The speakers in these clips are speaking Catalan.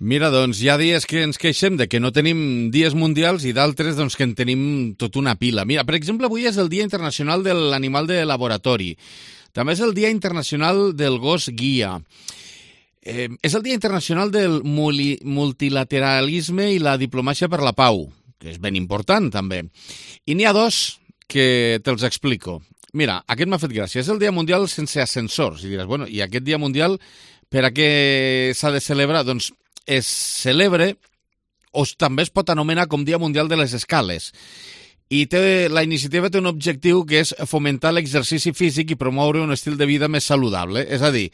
Mira, doncs hi ha dies que ens queixem de que no tenim dies mundials i d'altres doncs, que en tenim tota una pila. Mira, per exemple, avui és el Dia Internacional de l'Animal de Laboratori. També és el Dia Internacional del Gos Guia. És el Dia Internacional del Multilateralisme i la Diplomàcia per la Pau, que és ben important també. I n'hi ha dos que te'ls explico. Mira, aquest m'ha fet gràcia. És el Dia Mundial sense ascensors. I diràs, bueno, i aquest Dia Mundial per a què s'ha de celebrar? Doncs es celebra o també es pot anomenar com Dia Mundial de les Escales. I la iniciativa té un objectiu que és fomentar l'exercici físic i promoure un estil de vida més saludable. És a dir,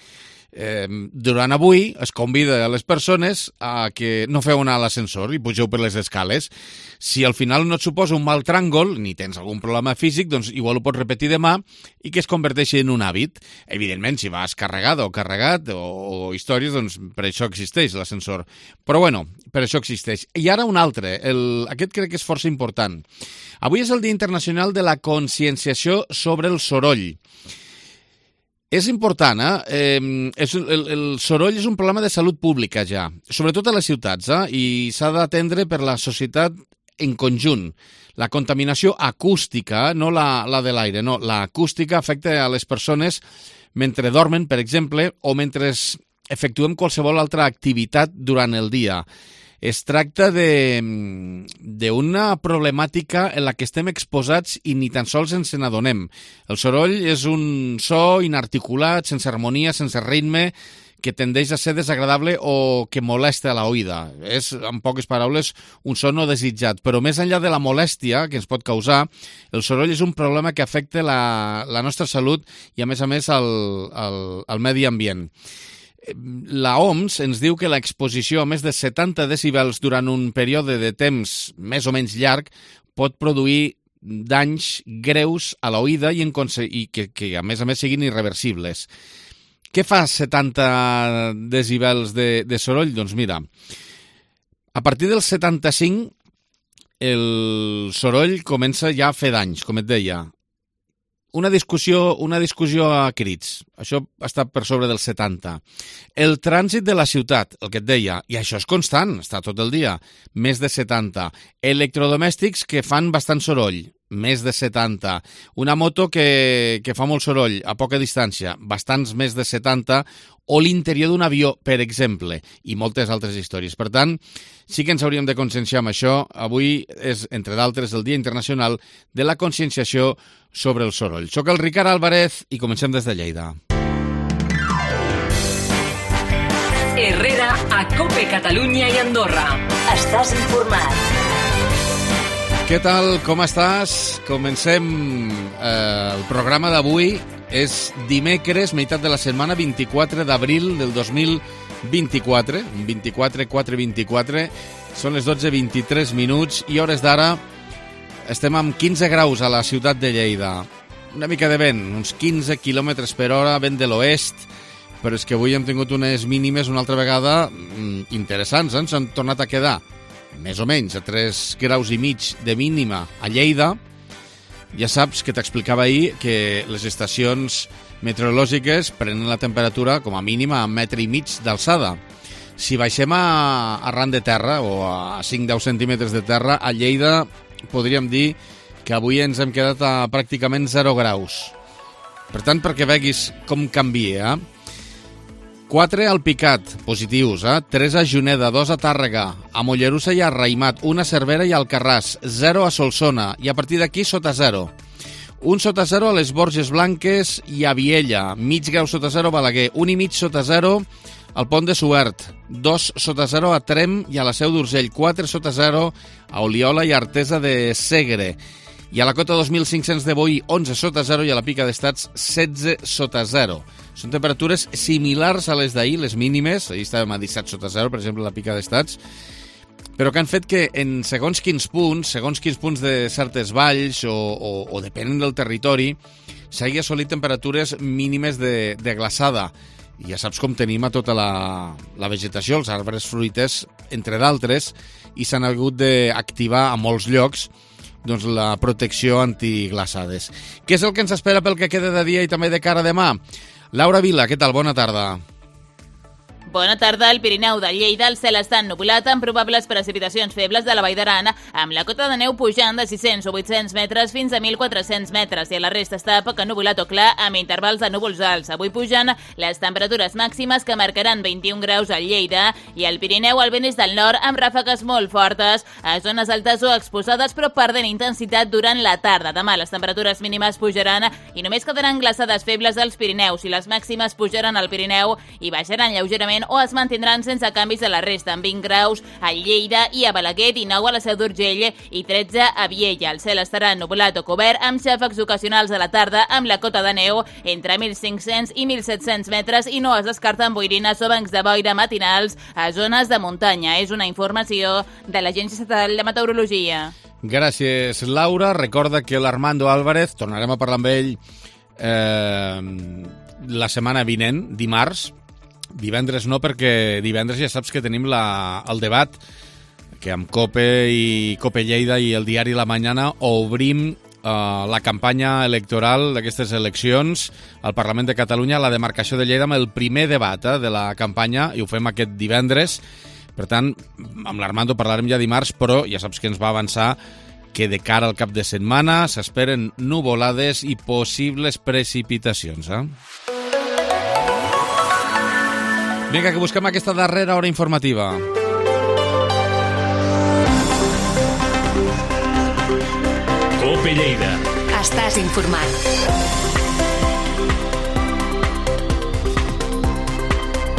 durant avui es convida a les persones a que no feu anar a l'ascensor i pugeu per les escales. Si al final no et suposa un mal tràngol, ni tens algun problema físic, doncs igual ho pots repetir demà i que es converteixi en un hàbit. Evidentment, si vas carregada o carregat o històries, doncs per això existeix l'ascensor. Però bueno, per això existeix. I ara un altre, aquest crec que és força important. Avui és el Dia Internacional de la Conscienciació sobre el Soroll. És important, el soroll és un problema de salut pública ja, sobretot a les ciutats, i s'ha d'atendre per la societat en conjunt. La contaminació acústica, no la de l'aire, no, l'acústica afecta a les persones mentre dormen, per exemple, o mentre efectuem qualsevol altra activitat durant el dia. Es tracta d'una problemàtica en la que estem exposats i ni tan sols ens n'adonem. El soroll és un so inarticulat, sense harmonia, sense ritme, que tendeix a ser desagradable o que molesta a l'oïda. És, en poques paraules, un so no desitjat. Però més enllà de la molèstia que ens pot causar, el soroll és un problema que afecta la nostra salut i, a més, al medi ambient. La OMS ens diu que l'exposició a més de 70 decibels durant un període de temps més o menys llarg pot produir danys greus a l'oïda i que a més siguin irreversibles. Què fa 70 decibels de soroll? Doncs mira, a partir dels 75 el soroll comença ja a fer danys, com et deia. Una discussió a crits. Això està per sobre del 70. El trànsit de la ciutat, el que et deia, i això és constant, està tot el dia, més de 70. Electrodomèstics que fan bastant soroll, més de 70. Una moto que fa molt soroll a poca distància, bastants més de 70. O l'interior d'un avió, per exemple, i moltes altres històries. Per tant, sí que ens hauríem de conscienciar amb això. Avui és, entre d'altres, el Dia Internacional de la Conscienciació sobre el soroll. Soc el Ricard Álvarez i comencem des de Lleida. Herrera, a COPE Catalunya i Andorra. Estàs informat. Què tal? Com estàs? Comencem el programa d'avui. És dimecres, meitat de la setmana, 24 d'abril del 2024. 24/4/24. Són les 12:23 i hores d'ara estem amb 15 graus a la ciutat de Lleida. Una mica de vent, uns 15 km per hora, vent de l'oest, però és que avui hem tingut unes mínimes una altra vegada interessants, s'han tornat a quedar més o menys a 3,5 graus de mínima a Lleida. Ja saps que t'explicava ahir que les estacions meteorològiques prenen la temperatura com a mínima a 1,5 metres d'alçada. Si baixem a ran de terra o a 5-10 centímetres de terra, a Lleida podríem dir que avui ens hem quedat a pràcticament 0 graus. Per tant, perquè veguis com canvia, 4 al Picat, positius, 3 a Juneda, 2 a Tàrrega, a Mollerussa i a Raïmat, 1 a Cervera i a Alcarràs, 0 a Solsona, i a partir d'aquí sota 0. 1 sota 0 a les Borges Blanques i a Viella, mig grau sota 0 a Balaguer, 1,5 sota 0 al Pont de Suert, 2 sota 0 a Tremp i a la Seu d'Urgell, 4 sota 0 a Oliola i Artesa de Segre, i a la Cota 2500 de Boí, 11 sota 0 i a la Pica d'Estats, 16 sota 0. Són temperatures similars a les d'ahir, les mínimes. Ahir estàvem a 17 sota 0, per exemple, a la Pica d'Estats, però que han fet que en segons quins punts de certes valls o depenent del territori, s'hagi assolit temperatures mínimes de glaçada. I ja saps com tenim a tota la vegetació, els arbres fruiters, entre d'altres, i s'han hagut d'activar a molts llocs doncs la protecció antiglaçades. Què és el que ens espera pel que queda de dia i també de cara a demà? Laura Vila, què tal? Bona tarda. Bona tarda. Al Pirineu de Lleida el cel està ennuvolat amb probables precipitacions febles de la Vall d'Aran, amb la cota de neu pujant de 600 o 800 metres fins a 1.400 metres i a la resta està poc ennuvolat o clar amb intervals de núvols alts. Avui pugen les temperatures màximes que marcaran 21 graus a Lleida i al Pirineu el vent és del nord amb ràfegues molt fortes a zones altes o exposades però perdent intensitat durant la tarda. Demà les temperatures mínimes pujaran i només quedaran glaçades febles als Pirineus i les màximes pujaran al Pirineu i baixaran lleugerament o es mantindran sense canvis a la resta, amb 20 graus a Lleida i a Balaguer, 19 a la Seu d'Urgell i 13 a Viella. El cel estarà ennuvolat o cobert amb xàfecs ocasionals a la tarda amb la cota de neu entre 1.500 i 1.700 metres i no es descarten boirines o bancs de boira matinals a zones de muntanya. És una informació de l'Agència Estatal de Meteorologia. Gràcies, Laura. Recorda que l'Armando Álvarez, tornarem a parlar amb ell la setmana vinent, dimarts. Divendres no, perquè divendres ja saps que tenim el debat que amb COPE i COPE Lleida i el diari La Mañana obrim la campanya electoral d'aquestes eleccions al Parlament de Catalunya, la demarcació de Lleida, amb el primer debat de la campanya, i ho fem aquest divendres. Per tant, amb l'Armando parlarem ja dimarts, però ja saps que ens va avançar que de cara al cap de setmana s'esperen nuvolades i possibles precipitacions. Vinga, que busquem aquesta darrera hora informativa. COPE Lleida. Estàs informat.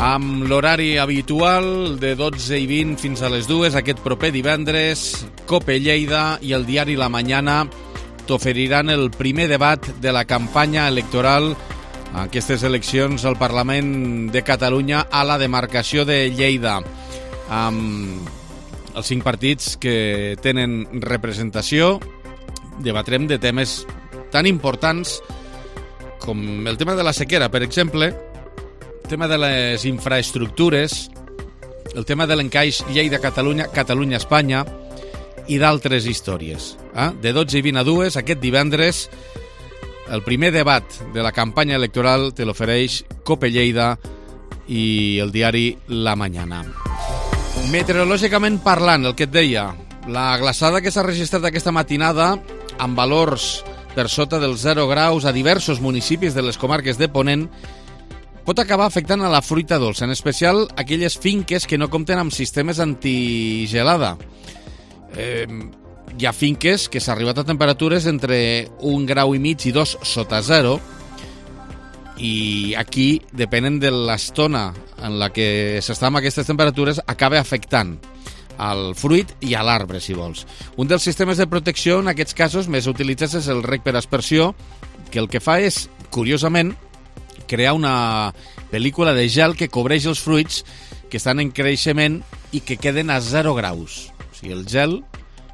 Amb l'horari habitual de 12:20 fins a les 2, aquest proper divendres, COPE Lleida i el diari La Mañana t'oferiran el primer debat de la campanya electoral a aquestes eleccions al Parlament de Catalunya a la demarcació de Lleida, amb els 5 partits que tenen representació. Debatrem de temes tan importants com el tema de la sequera, per exemple, el tema de les infraestructures, el tema de l'encaix Lleida-Catalunya, Catalunya-Espanya i d'altres històries. De 12:20 a 2, aquest divendres, el primer debat de la campanya electoral te l'ofereix COPE Lleida i el diari La Mañana. Meteorològicament parlant, el que et deia, la glaçada que s'ha registrat aquesta matinada amb valors per sota dels 0 graus a diversos municipis de les comarques de Ponent pot acabar afectant a la fruita dolça, en especial aquelles finques que no compten amb sistemes antigelada. Hi ha finques que s'ha arribat a temperatures entre 1,5 graus i 2 sota 0 i aquí, depenent de l'estona en la que s'està amb aquestes temperatures, acaba afectant al fruit i a l'arbre, si vols. Un dels sistemes de protecció en aquests casos més utilitzats és el rec per aspersió, que el que fa és, curiosament, crear una pel·lícula de gel que cobreix els fruits que estan en creixement i que queden a 0 graus. O sigui, el gel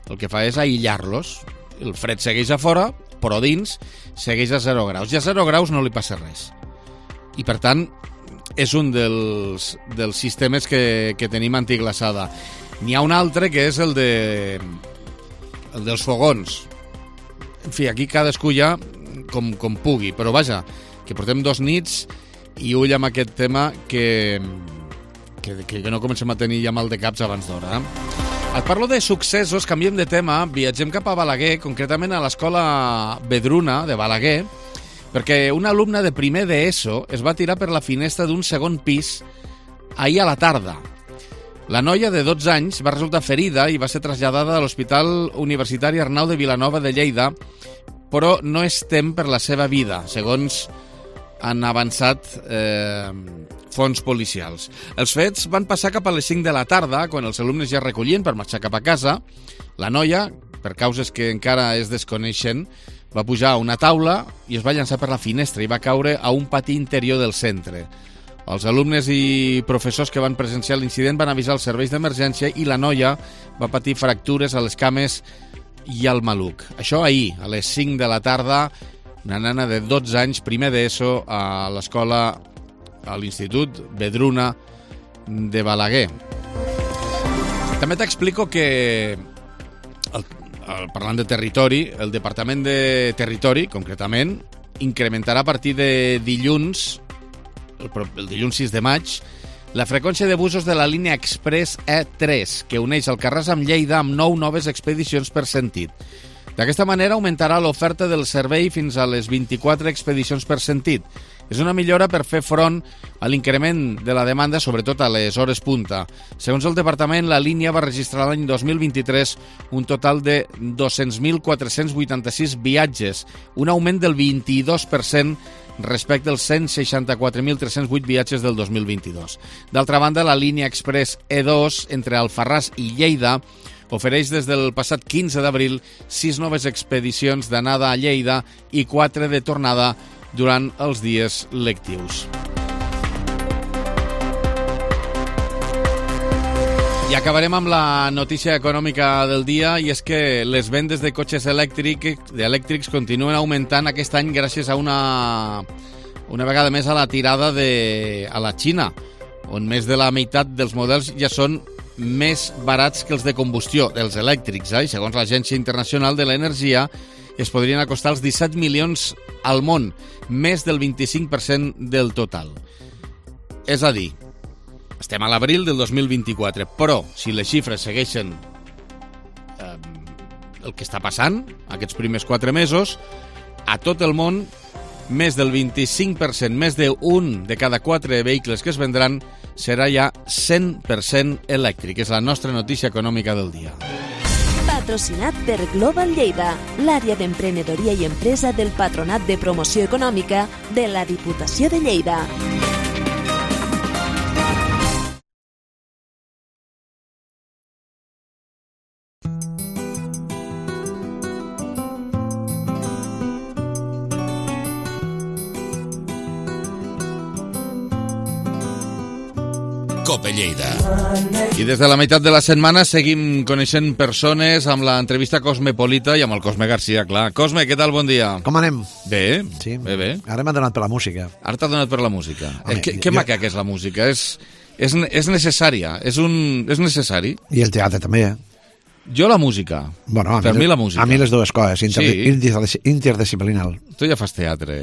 el que fa és aïllar-los. El fred segueix a fora, però dins segueix a 0 graus. I a 0 graus no li passa res. I, per tant, és un dels sistemes que tenim antiglaçada. N'hi ha un altre que és el dels fogons. En fi, aquí cadascú ja com pugui, però vaja, que portem 2 nits i ull amb aquest tema que no comencem a tenir ja mal de caps abans d'hora. Et parlo de successos, canviem de tema, viatgem cap a Balaguer, concretament a l'escola Vedruna de Balaguer, perquè una alumna de primer d'ESO es va tirar per la finestra d'un segon pis ahir a la tarda. La noia de 12 anys va resultar ferida i va ser traslladada a l'Hospital Universitari Arnau de Vilanova de Lleida, però no es tem per la seva vida, segons han avançat fonts policials. Els fets van passar cap a les 5 de la tarda, quan els alumnes ja es recollien per marxar cap a casa. La noia, per causes que encara es desconeixen, va pujar a una taula i es va llançar per la finestra i va caure a un pati interior del centre. Els alumnes i professors que van presenciar l'incident van avisar els serveis d'emergència i la noia va patir fractures a les cames i al maluc. Això ahir, a les 5 de la tarda, una nena de 12 anys, primer d'ESO, a l'escola, a l'Institut Vedruna de Balaguer. També t'explico que, parlant de territori, el Departament de Territori, concretament, incrementarà a partir de dilluns, el dilluns 6 de maig, la freqüència de busos de la línia Express E3, que uneix Alcarràs amb Lleida amb 9 noves expedicions per sentit. D'aquesta manera augmentarà l'oferta del servei fins a les 24 expedicions per sentit. És una millora per fer front a l'increment de la demanda, sobretot a les hores punta. Segons el departament, la línia va registrar l'any 2023 un total de 200.486 viatges, un augment del 22% respecte als 164.308 viatges del 2022. D'altra banda, la línia Express E2 entre Alfarràs i Lleida ofereix des del passat 15 d'abril 6 noves expedicions d'anada a Lleida i 4 de tornada durant els dies lectius. I acabarem amb la notícia econòmica del dia, i és que les vendes de cotxes elèctrics continuen augmentant aquest any gràcies a una vegada més a la tirada a la Xina, on més de la meitat dels models ja són més barats que els de combustió, els elèctrics, i segons l'Agència Internacional de l'Energia es podrien acostar als 17 milions al món, més del 25% del total. És a dir, estem a l'abril del 2024, però si les xifres segueixen el que està passant aquests primers 4 mesos, a tot el món més del 25%, més d'un de cada 4 vehicles que es vendran serà ja 100% elèctric. És la nostra notícia econòmica del dia. Patrocinat per Global Lleida, l'àrea d'emprenedoria i empresa del Patronat de Promoció Econòmica de la Diputació de Lleida. Cope Lleida. I des de la meitat de la setmana seguim coneixent persones amb l'entrevista Cosmopolita i amb el Cosme Garcia, clar. Cosme, què tal? Bon dia. Com anem? Bé, sí. Bé. Ara m'ha donat per la música. Ara t'ha donat per la música. Que maca que és la música. És necessària. És necessari. I el teatre també, Jo la música. Bueno, per mi la música. A mi les dues coses, interdisciplinal. Tu ja fas teatre.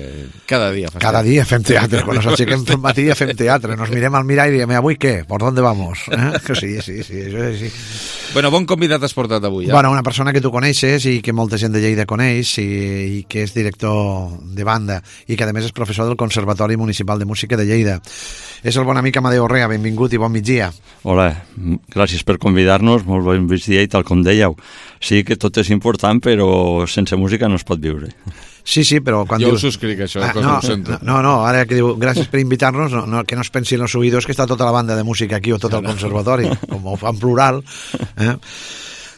Cada dia fas Cada dia fem teatre. Quan ens aixequem pel matí ja fem teatre. Nos mirem al mirall i diem, avui què? ¿Por dónde vamos? Sí, això és així. Bueno, bon convidat has portat avui. Bueno, una persona que tu coneixes i que molta gent de Lleida coneix i que és director de banda i que a més és professor del Conservatori Municipal de Música de Lleida. És el bon amic Amadeu Orrea. Benvingut i bon migdia. Hola, gràcies per convidar-nos, molt bon migdia i tal com dèieu. Sí que tot és important, però sense música no es pot viure. Sí, però quan jo dius... ho subscric, això, ho sento. No, ara que diu, gràcies per invitar-nos, que no es pensin els oïdors que està tota la banda de música aquí o tot el conservatori, com ho fa en plural.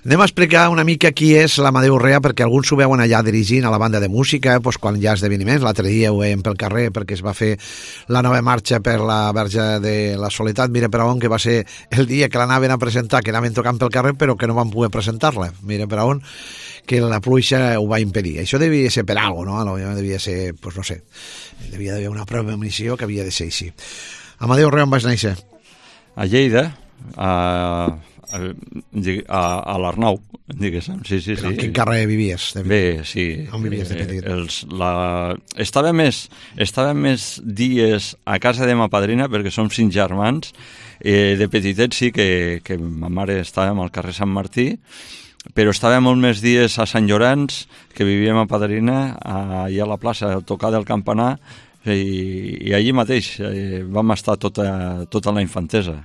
Anem a explicar una mica qui és l'Amadeu Orrea, perquè alguns ho veuen allà dirigint a la banda de música, quan hi ha esdeveniments. L'altre dia ho veiem pel carrer perquè es va fer la nova marxa per la Verge de la Soledat, mira per on, que va ser el dia que l'anaven a presentar, que anaven tocant pel carrer, però que no van poder presentar-la. Mira per on, que la pluja ho va impedir. Això devia ser per alguna cosa, no? Devia ser, no sé, devia d'haver una premonició que havia de ser així. Amadeu Orrea, on vas néixer? A Lleida, a l'Arnau, diguéssim, sí. En quin carrer vivies? Bé, sí. On vivies de petit? Estava més dies a casa de ma padrina, perquè som 5 germans. De petitet sí que ma mare estàvem al carrer Sant Martí, però estava molt més dies a Sant Llorenç, que vivia ma padrina, allà a la plaça, a tocar del campanar, i allí mateix vam estar tota la infantesa.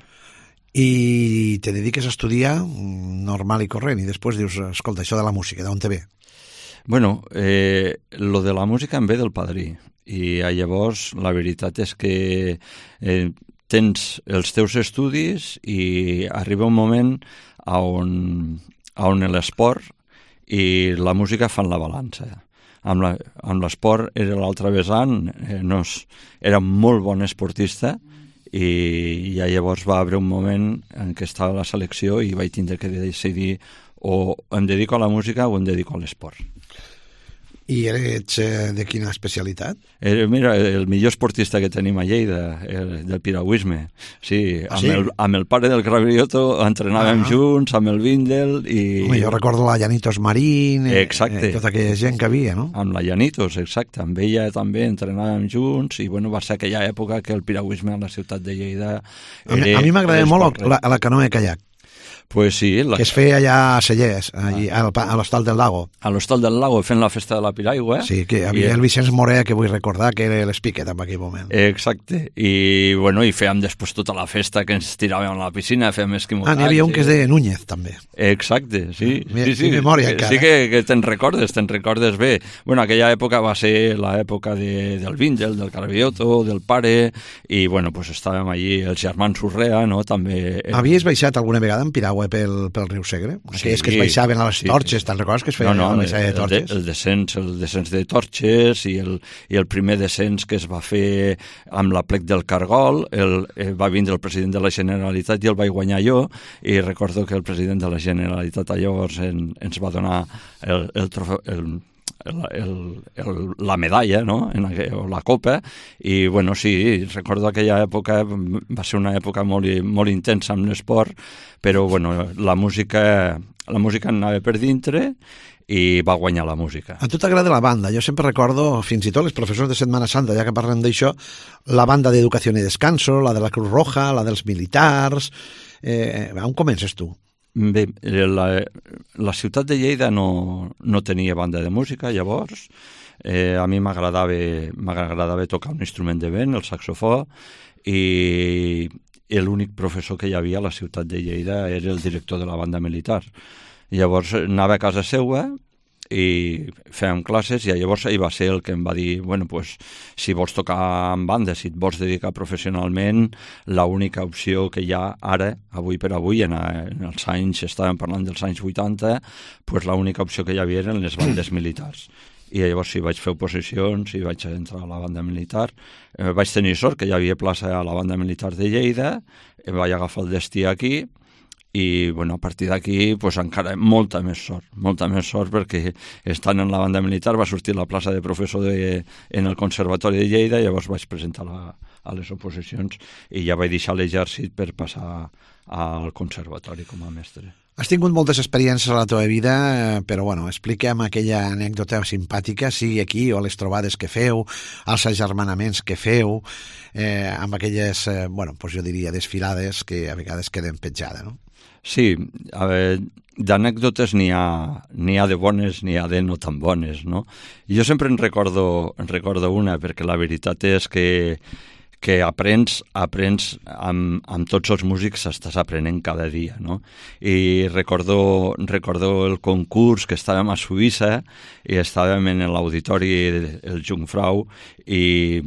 I te dediques a estudiar normal i corrent, i després dius, escolta, això de la música, d'on te ve? Bueno, lo de la música em ve del padrí, i llavors la veritat és que tens els teus estudis i arriba un moment on l'esport i la música fan la balança. Amb l'esport era l'altre vessant, era molt bon esportista, i ja llavors va haver un moment en què estava a la selecció i vaig tindre que decidir o em dedico a la música o em dedico a l'esport. I ets de quina especialitat? Mira, el millor esportista que tenim a Lleida, del piragüisme. Sí, amb el pare del Gravioto entrenàvem junts, amb el Vindel i... Home, jo recordo la Llanitos Marín, tota aquella gent que havia, no? Amb la Llanitos, exacte. Amb ella també entrenàvem junts i bueno, va ser aquella època que el piragüisme a la ciutat de Lleida... A mi m'agradava molt la canoa de kayak. Pues sí. Que es feia allà a Cellers, a l'Hostal del Lago. A l'Hostal del Lago, fent la festa de la Piraigua. Sí, que havia el Vicenç Moré, que vull recordar, que era l'Spiket en aquell moment. Exacte. I, bueno, i fèiem després tota la festa que ens tiràvem a la piscina, fèiem esquimotatge. N'hi havia un que és de Núñez, també. Exacte, sí. Sí, memòria, encara. Sí que te'n recordes bé. Bueno, aquella època va ser l'època del Vindel, del Gravioto, del pare, i, bueno, pues estàvem allí, els germans Urrea, no?, també... Havies baixat alguna vegada en piragua pel riu Segre? Aquelles que es baixaven a les torxes, te'n recordes que es feien a la baixada de torxes? El descens de torxes i el primer descens que es va fer amb la plec del Cargol, va vindre el president de la Generalitat i el vaig guanyar jo, i recordo que el president de la Generalitat llavors ens va donar el trofeu, la medalla, no?, o la copa, i bueno, sí, recordo aquella època, va ser una època molt intensa amb l'esport, però bueno, la música anava per dintre i va guanyar la música. A tu t'agrada la banda? Jo sempre recordo, fins i tot els professors de Setmana Santa, ja que parlem d'això, la banda d'Educació i Descanso, la de la Cruz Roja, la dels militars... On comences tu? Bé, la ciutat de Lleida no tenia banda de música, llavors. A mi m'agradava tocar un instrument de vent, el saxofó, i l'únic professor que hi havia a la ciutat de Lleida era el director de la banda militar. Llavors anava a casa seva i fèiem classes, i llavors ell va ser el que em va dir, bueno, pues, si vols tocar en banda, si et vols dedicar professionalment, l'única opció que hi ha ara, avui per avui, en els anys, estàvem parlant dels anys 80, pues l'única opció que hi havia eren les bandes militars. I llavors sí, vaig fer oposicions i vaig entrar a la banda militar. Vaig tenir sort que hi havia plaça a la banda militar de Lleida, vaig agafar el destí aquí, i bueno, a partir d'aquí pues, encara molta més sort perquè estant en la banda militar va sortir la plaça de professor en el Conservatori de Lleida, i llavors vaig presentar a les oposicions i ja vaig deixar l'exèrcit per passar al Conservatori com a mestre. Has tingut moltes experiències a la teva vida, però bueno, explica'm aquella anècdota simpàtica, sigui aquí o a les trobades que feu, als agermanaments que feu, amb aquelles, bueno, doncs jo diria desfilades que a vegades queden petjades, no? Sí, a veure, d'anècdotes n'hi ha de bones, n'hi ha de no tan bones, no? Jo sempre en recordo una, perquè la veritat és que aprens amb tots els músics, estàs aprenent cada dia, no? I recordo el concurs que estàvem a Suïssa i estàvem en l'auditori el Jungfrau i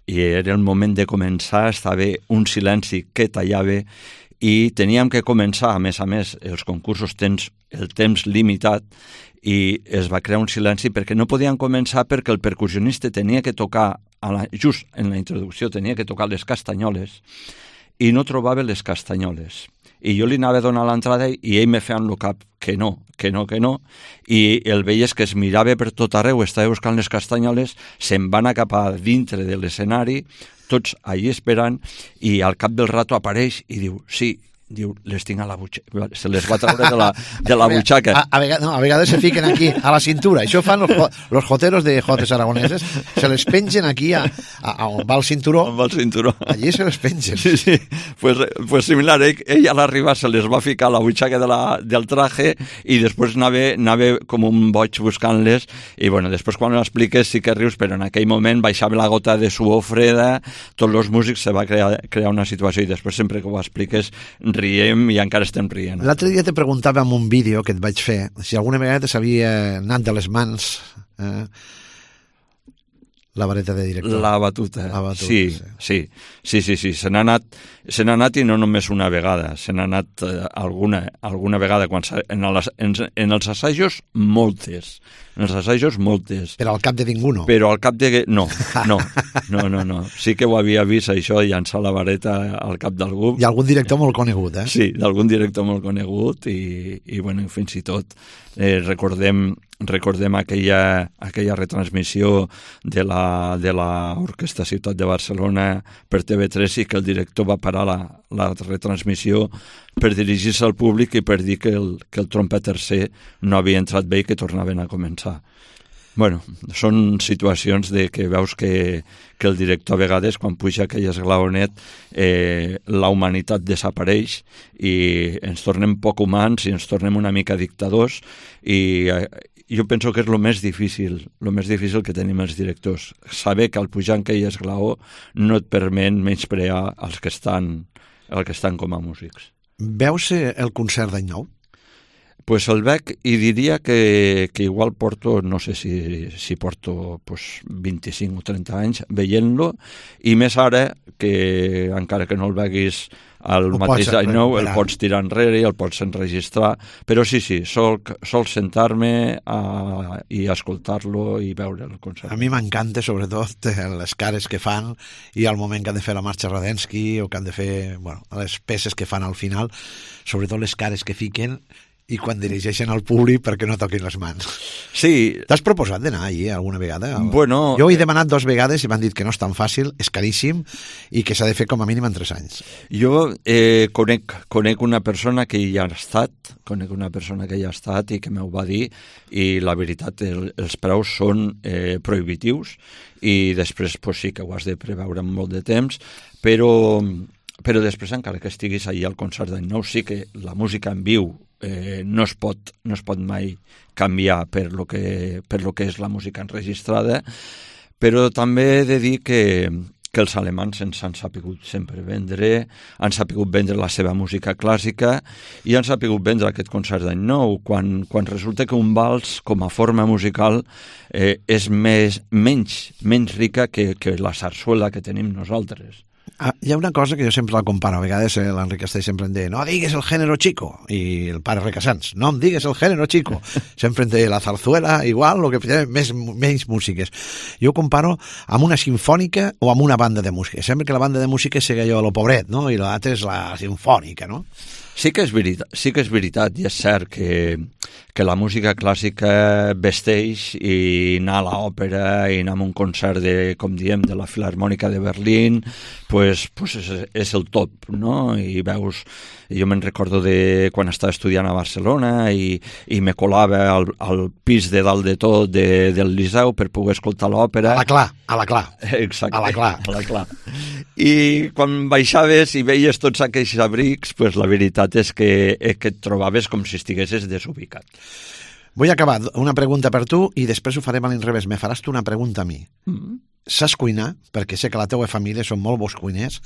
era el moment de començar, estava un silenci que tallava i teníem que començar, a més, els concursos tens el temps limitat i es va crear un silenci perquè no podien començar perquè el percussionista tenia que tocar, just en la introducció, tenia que tocar les castanyoles i no trobava les castanyoles. I jo li anava a donar l'entrada i ell me feia en el cap que no, i el veies que es mirava per tot arreu, estava buscant les castanyoles, se'n va anar cap a dintre de l'escenari, tots allà esperant, i al cap del rato apareix i diu, sí, les tinc a la butxaca, se les va treure de la butxaca. A vegades se fiquen aquí a la cintura, això fan los joteros de jotes aragoneses, se les pengen aquí on va el cinturó, allí se les pengen. Sí, pues similar, ell a l'arribar se les va ficar a la butxaca del traje i després anava com un boig buscant-les, i bueno, després quan ho expliques sí que rius, però en aquell moment baixava la gota de suor freda, tots els músics se va crear una situació, i després sempre que ho expliques riem i encara estem rient. L'altre dia te preguntava en un vídeo que et vaig fer si alguna vegada s'havia anat de les mans la vareta de director. La batuta. Sí. Se n'ha anat i no només una vegada, se n'ha anat alguna vegada. En els assajos, moltes. Però al cap de ningú no. Però al cap de... No. Sí que ho havia vist, això, llançar la vareta al cap d'algú. I algun director molt conegut, eh? Sí, d'algun director molt conegut i bueno, fins i tot recordem recordem aquella retransmissió de l'Orquestra Ciutat de Barcelona per TV3 i que el director va parar la retransmissió per dirigir-se al públic i per dir que el trompet tercer no havia entrat bé i que tornaven a començar. Bueno, són situacions de que veus que el director a vegades, quan puja aquell esglaonet, la humanitat desapareix i ens tornem poc humans i ens tornem una mica dictadors i jo penso que és el més difícil que tenim els directors. Saber que al pujar en aquell esglaó no et permet menysprear els que estan com a músics. Veus el concert d'any nou? Pues el veig i diria que igual porto, no sé si porto 25 o 30 anys veient-lo, i més ara que encara que no el veguis al mateix any nou, el pots tirar enrere i el pots enregistrar, però sí, sol sentar-me i escoltar-lo i veure el concert. A mi m'encanta sobretot les cares que fan i al moment que han de fer la marxa Radetzky o que han de fer les peces que fan al final, sobretot les cares que fiquen i quan dirigeixen al públic perquè no toquin les mans. Sí. T'has proposat d'anar allí alguna vegada? Bueno, jo he demanat 2 vegades i m'han dit que no és tan fàcil, és caríssim i que s'ha de fer com a mínim en 3 anys. Jo conec una persona que hi ha estat, i que m'ho va dir, i la veritat, els preus són prohibitius i després sí que ho has de preveure amb molt de temps, però després, encara que estiguis allà al concert d'any nou, sí que la música en viu no es pot mai canviar per lo que és la música enregistrada, però també he de dir que els alemans ens han sapigut sempre vendre, han sapigut vendre la seva música clàssica i han sapigut vendre aquest concert d'any nou, quan resulta que un vals com a forma musical és menys rica que la sarsuela que tenim nosaltres. Hi ha una cosa que jo sempre la comparo, a vegades l'Enric Castell sempre em diu no digues el género chico, i el pare Recasants no em digues el género chico, sempre em diu la zarzuela igual, o que té menys músiques. Jo ho comparo amb una sinfònica o amb una banda de música, sempre que la banda de música sigui allò de lo pobret, no? I l'altra és la sinfònica, no? Sí que és veritat i és cert que la música clàssica vesteix, i anar a l'òpera i anar a un concert com diem, de la Filarmònica de Berlín, pues és el top, no? I veus, jo me'n recordo de quan estava estudiant a Barcelona i me colava al pis de dalt de tot del Liceu per poder escoltar l'òpera. A la Clar. Exacte, a la Clar. I quan baixaves i veies tots aquells abrics, pues la veritat és que et trobaves com si estiguessis desubicat. Vull acabar una pregunta per tu i després ho farem a l'inrevés. Me faràs tu una pregunta a mi. Saps cuinar? Perquè sé que la teua família són molt bons cuiners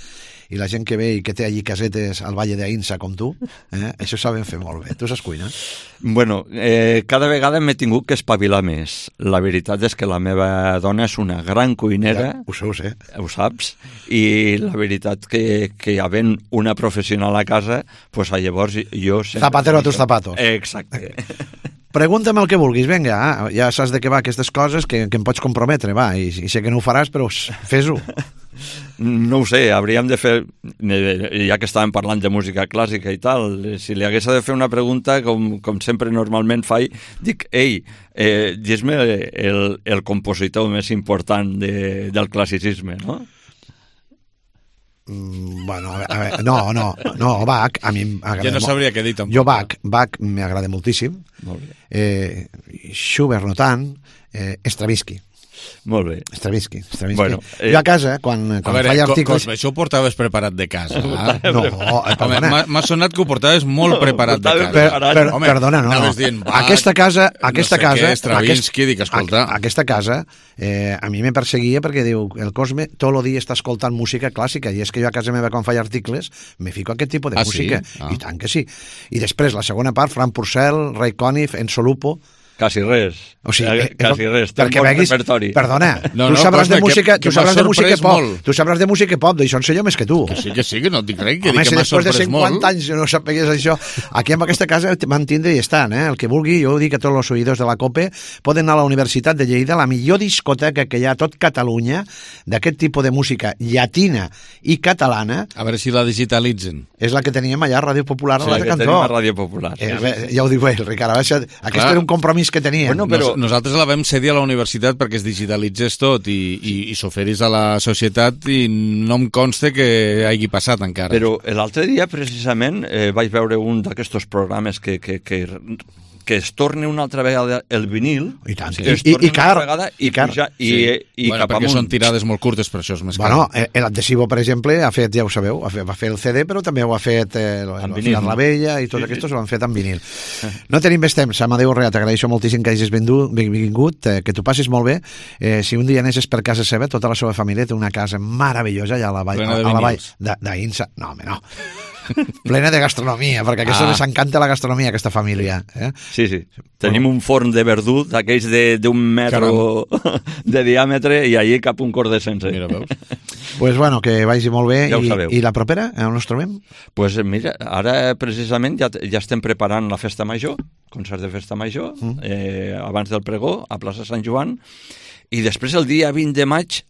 i la gent que ve i que té allí casetes al Valle d'Aïnsa com tu, això saben fer molt bé. Tu saps cuinar? Bueno, cada vegada m'he tingut que espavilar més. La veritat és que la meva dona és una gran cuinera. Ja, ho sé. Ho saps? I la veritat que havent una professional a casa, pues llavors jo... Zapatero a tus zapatos. Exacte. Pregunta'm el que vulguis, vinga, ja saps de què va aquestes coses, que em pots comprometre, va, i sé que no ho faràs, però fes-ho. No ho sé, hauríem de fer, ja que estàvem parlant de música clàssica i tal, si li hagués de fer una pregunta, com sempre normalment faig, dic, dis-me el compositor més important del classicisme, no? Bueno, a veure, no, Bach a mi m'agrada jo no sabria què dir tampoc. Jo Bach m'agrada moltíssim. Molt bé. Schubert no tant, Stravinsky. Molt bé. Stravinsky. Bueno, jo a casa, quan faig articles... Cosme, això ho portaves preparat de casa. No, perdona. M'ha sonat que ho portaves molt preparat de casa. Perdona, no. Dient, aquesta casa... Stravinsky, dic, escolta... Aquesta casa a mi me perseguia perquè diu, el Cosme tot el dia està escoltant música clàssica, i és que jo a casa meva quan faig articles me fico aquest tipus de música. Sí? I tant que sí. I després la segona part, Frank Purcell, Ray Conniff, Enzo Lupo... Quasi res. O sigui, quasi res. Perquè veguis, perdona, tu sabràs de música, tu sabràs de música pop. Tu sabràs de música pop, d'això en sé jo més que tu. Que sí, que no et dic res, que home, dic que m'ha sorprès molt. Home, si després de 50 anys no sapegués això, aquí en aquesta casa van tindre i estan, el que vulgui, jo ho dic a tots els oïdors de la COPE, poden anar a la Universitat de Lleida, la millor discoteca que hi ha a tot Catalunya, d'aquest tipus de música llatina i catalana. A veure si la digitalitzen. És la que teníem allà a Ràdio Popular, a l'altre cantó. Sí, la que tenim a Ràdio Popular. Ja ho diu ell, Ricard, aquest era un compromís compromís que tenien. Bueno, però... Nosaltres la vam cedir a la universitat perquè es digitalitzés tot i s'oferís a la societat i no em consta que hagi passat encara. Però l'altre dia, precisament, vaig veure un d'aquests programes que es torni una altra vegada el vinil. I tant. I car. I car. I bueno, cap perquè amunt. són tirades molt curtes, per això és més car. Bueno, l'Adhesivo, per exemple, ha fet, ja ho sabeu, va fer el CD, però també ho ha fet la Vella i tot aquests ho han fet en vinil. No tenim més temps. Amadeu Rea, t'agraeixo moltíssim que hagis vingut, que t'ho passis molt bé. Si un dia anessis per casa seva, tota la seva família té una casa meravellosa allà a la vall d'Aïnsa. No, home, no. Plena de gastronomia, perquè aquesta les encanta la gastronomia, aquesta família. Sí. Tenim un forn de verdú d'aquells d'un metro de diàmetre i allí cap un cor de sense. Mira, veus? Pues bueno, que vagi molt bé. Ja ho sabeu. I la propera, on ens trobem? Pues mira, ara precisament ja estem preparant la festa major, concert de festa major, abans del pregó, a plaça Sant Joan, i després el dia 20 de maig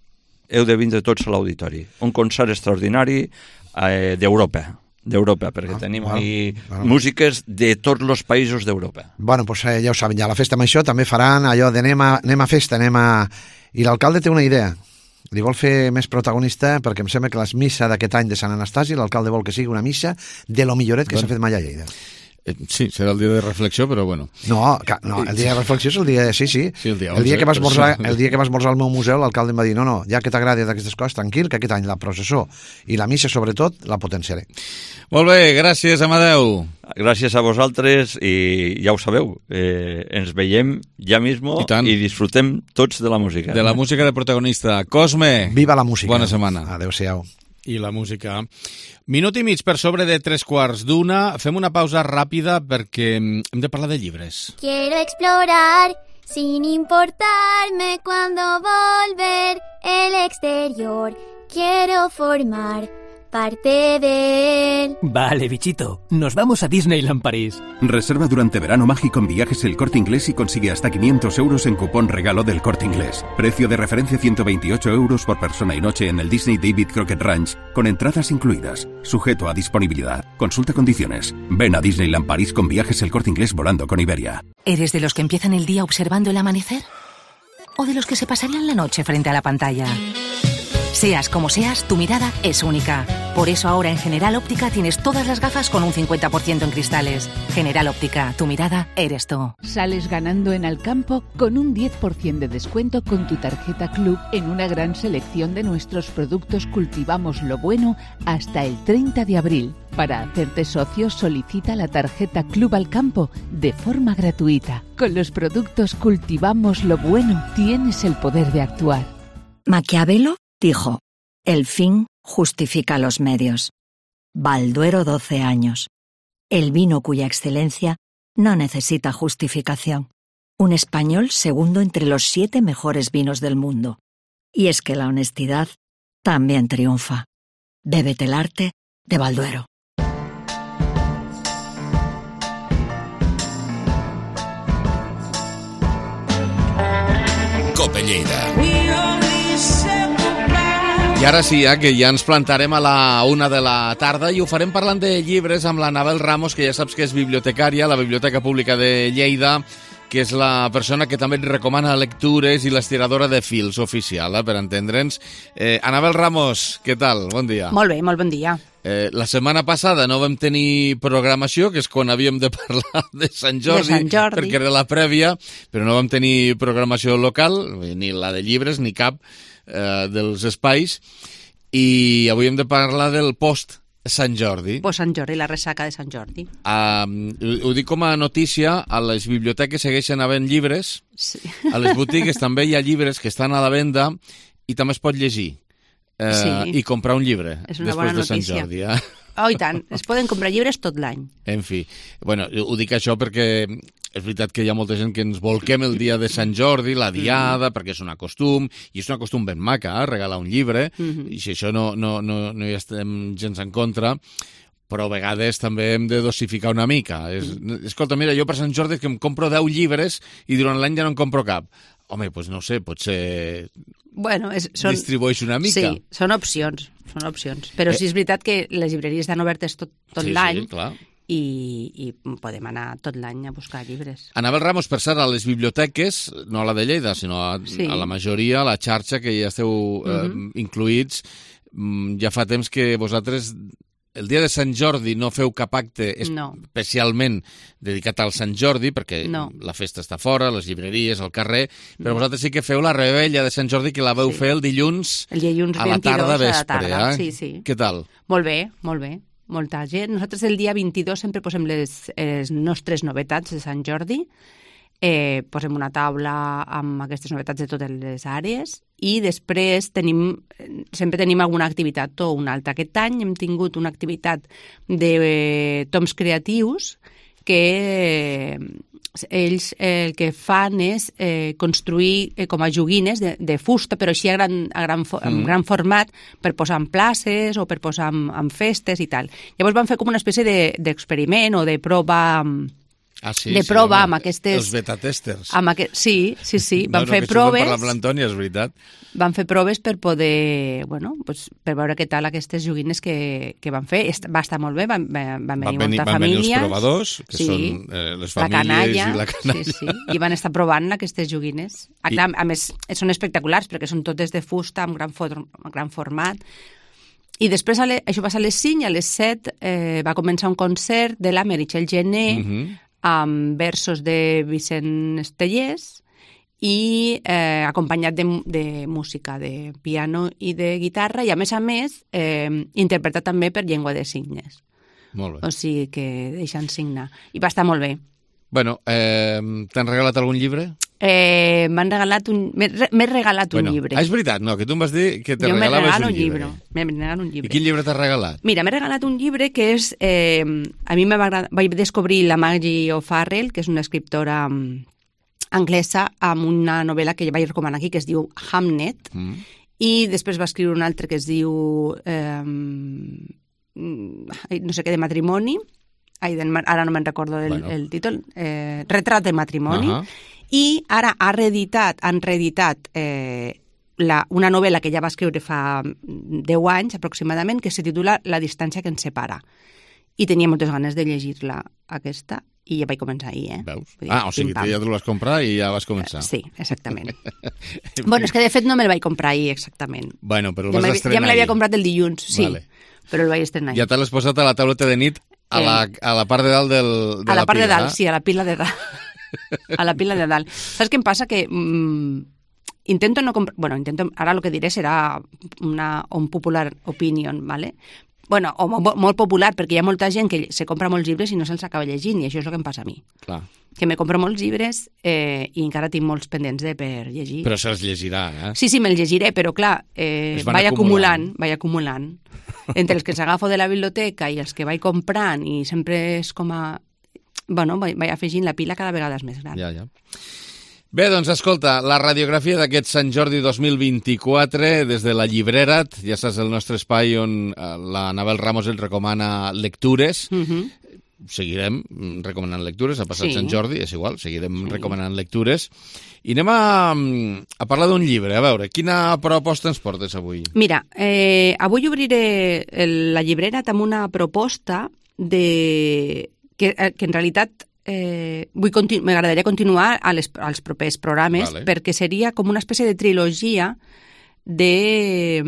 heu de vindre tots a l'auditori. Un concert extraordinari d'Europa, perquè tenim músiques de tots els països d'Europa. Bueno, pues ja ho saben, ja la festa amb això també faran allò de anem a festa, I l'alcalde té una idea. Li vol fer més protagonista perquè em sembla que la missa d'aquest any de Sant Anastasi, l'alcalde vol que sigui una missa de lo milloret que s'ha fet mai a Lleida. Sí, serà el dia de reflexió, però bueno. No, el dia de reflexió és el dia... Sí, el dia que vas esmorzar al meu museu, l'alcalde em va dir no, ja que t'agrada d'aquestes coses, tranquil, que aquest any la processó i la missa, sobretot, la potenciaré. Molt bé, gràcies, Amadeu. Gràcies a vosaltres i ja ho sabeu, ens veiem ja mismo i disfrutem tots de la música. De la música de protagonista. Cosme. Viva la música. Bona setmana. Adéu-siau. I la música. Minut i mig per sobre de 3:15. Fem una pausa ràpida perquè hem de parlar de llibres. Quiero explorar sin importarme cuando volver el exterior. Quiero formar parte de él. Vale, bichito, nos vamos a Disneyland París. Reserva durante verano mágico en Viajes El Corte Inglés y consigue hasta 500 euros en cupón regalo del Corte Inglés. Precio de referencia 128 euros por persona y noche en el Disney David Crockett Ranch, con entradas incluidas. Sujeto a disponibilidad. Consulta condiciones. Ven a Disneyland París con Viajes El Corte Inglés volando con Iberia. ¿Eres de los que empiezan el día observando el amanecer? ¿O de los que se pasarían la noche frente a la pantalla? Seas como seas, tu mirada es única. Por eso ahora en General Óptica tienes todas las gafas con un 50% en cristales. General Óptica, tu mirada eres tú. Sales ganando en Alcampo con un 10% de descuento con tu tarjeta Club en una gran selección de nuestros productos Cultivamos lo Bueno hasta el 30 de abril. Para hacerte socio, solicita la tarjeta Club Alcampo de forma gratuita. Con los productos Cultivamos lo Bueno tienes el poder de actuar. Maquiavelo dijo, el fin justifica los medios. Balduero 12 años. El vino cuya excelencia no necesita justificación. Un español segundo entre los 7 mejores vinos del mundo. Y es que la honestidad también triunfa. Bébete el arte de Balduero. Cope Lleida. I ara sí, que ja ens plantarem a la 1 de la tarda i ho farem parlant de llibres amb la Anabel Ramos, que ja saps que és bibliotecària a la Biblioteca Pública de Lleida, que és la persona que també et recomana lectures i l'estiradora de fils oficial, per entendre'ns. Anabel Ramos, què tal? Bon dia. Molt bé, molt bon dia. La setmana passada no vam tenir programació, que és quan havíem de parlar de Sant Jordi, perquè era la prèvia, però no vam tenir programació local, ni la de llibres, ni cap dels espais, i avui hem de parlar del post Sant Jordi. Post Sant Jordi, la ressaca de Sant Jordi. Ho dic com a notícia, a les biblioteques segueixen havent llibres, sí. A les botigues també hi ha llibres que estan a la venda i també es pot llegir. I comprar un llibre després de Sant Jordi. Oh, i tant, es poden comprar llibres tot l'any. En fi, bueno, ho dic això perquè és veritat que hi ha molta gent que ens volquem el dia de Sant Jordi, la diada, perquè és un costum, i és un costum ben maca, regalar un llibre, i si això no hi estem gens en contra, però a vegades també hem de dosificar una mica. Escolta, mira, jo per Sant Jordi que em compro 10 llibres i durant l'any ja no en compro cap. Home, doncs no sé, potser distribueix una mica. Sí, són opcions. Però sí és veritat que les llibreries estan obertes tot l'any. Sí, clar. i podem anar tot l'any a buscar llibres. Anabel Ramos, per cert, a les biblioteques, no a la de Lleida, sinó a la majoria, a la xarxa que ja esteu incluïts, ja fa temps que vosaltres el dia de Sant Jordi no feu cap acte especialment dedicat al Sant Jordi, perquè la festa està fora, les llibreries, al carrer, però vosaltres sí que feu la rebella de Sant Jordi, que la veu fer el dilluns a la tarda vespre. Què tal? Molt bé, molt bé. Molta gent. Nosaltres el dia 22 sempre posem les nostres novetats de Sant Jordi. Posem una taula amb aquestes novetats de totes les àrees i després sempre tenim alguna activitat o una altra. Aquest any hem tingut una activitat de toms creatius que ells el que fan és construir com a joguines de fusta, però així en gran format, per posar en places o per posar en festes i tal. Llavors van fer com una espècie d'experiment o de prova amb aquestes... Els beta-testers. Sí. Van fer proves... Per l'Antònia, és veritat. Van fer proves per poder... per veure què tal aquestes joguines que van fer. Va estar molt bé, van venir molta família. Van venir els provadors, que són les famílies i la canalla. Sí, i van estar provant aquestes joguines. A més, són espectaculars, perquè són totes de fusta, amb gran format. I després, això va ser a les 5, i a les 7 va començar un concert de la Meritxell Gené, amb versos de Vicent Estellers i acompanyat de música, de piano i de guitarra, i a més interpretat també per llengua de signes. Molt bé. O sigui que deixant signar. I va estar molt bé. Bueno, t'han regalat algun llibre? M'han regalat m'he regalat un llibre. És veritat, no, que tu em vas dir que te regalaves un llibre. M'he regalat un llibre. I quin llibre t'has regalat? Mira, m'he regalat un llibre que és... a mi vaig descobrir la Maggie O'Farrell, que és una escriptora anglesa, amb una novel·la que ja vaig recomanar aquí, que es diu Hamnet, i després va escriure un altre que es diu no sé què, de matrimoni, ara no me'n recordo el títol, Retrat de matrimoni, i ara han reeditat una novel·la que ja va escriure fa 10 anys aproximadament, que se titula La distància que ens separa. I tenia moltes ganes de llegir-la, aquesta, i ja vaig començar ahir, Veus? O sigui que ja tu l'has comprat i ja vas començar. Sí, exactament. Bueno, és que de fet no me'l vaig comprar ahir, exactament. Bueno, però el vas estrenar ja me l'havia comprat el dilluns, sí, però el vaig estrenar ahir. Ja te l'has posat a la tauleta de nit a la part de dalt de la pila. A la part de dalt, sí, a la pila de dalt. A la pila de dalt. Saps què em passa? Que intento no comprar... Bueno, ara el que diré serà un popular opinion, ¿vale? Bueno, o molt popular, perquè hi ha molta gent que se compra molts llibres i no se'ls acaba llegint, i això és el que em passa a mi. Clar. Que me compro molts llibres i encara tinc molts pendents per llegir. Però se'ls llegirà, Sí, me'ls llegiré, però clar, vaig acumulant. Entre els que s'agafo de la biblioteca i els que vaig comprant, i sempre és com a... Bueno, vaig afegint la pila cada vegada és més gran. Ja. Bé, doncs escolta, la radiografia d'aquest Sant Jordi 2024 des de la Llibrera't, ja saps, el nostre espai on la Anabel Ramos ens recomana lectures. Seguirem recomanant lectures, ha passat Sant Jordi, és igual, seguirem recomanant lectures. I anem a parlar d'un llibre, a veure, quina proposta ens portes avui? Mira, avui obriré la Llibrera't amb una proposta que en realitat m'agradaria continuar als propers programes, perquè seria com una espècie de trilogia de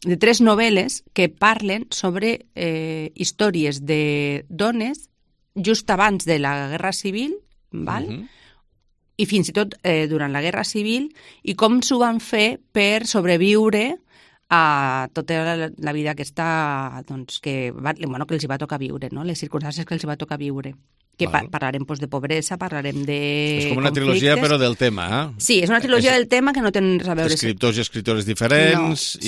3 novel·les que parlen sobre històries de dones just abans de la Guerra Civil, val? I fins i tot durant la Guerra Civil, i com s'ho van fer per sobreviure a tota la vida aquesta que els hi va tocar viure, no? Les circumstàncies que els hi va tocar viure. Que parlarem de pobresa, parlarem de És com una trilogia, però del tema, Sí, és una trilogia del tema que no té res a veure... Escriptors i escriptores diferents...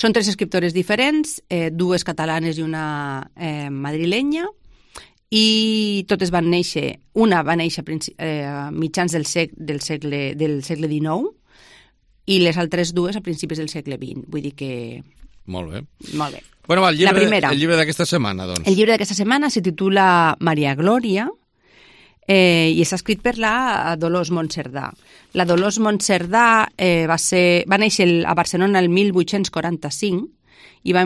Són 3 escriptores diferents, 2 catalanes i una madrilenya, i totes van néixer... Una va néixer a mitjans del segle XIX, i les altres 2 a principis del segle XX. Vull dir que... Molt bé. Molt bé. Bueno, va, el llibre d'aquesta setmana, doncs. El llibre d'aquesta setmana se titula Maria Glòria i està escrit per la Dolors Monserdà. La Dolors Monserdà va néixer a Barcelona el 1845 i va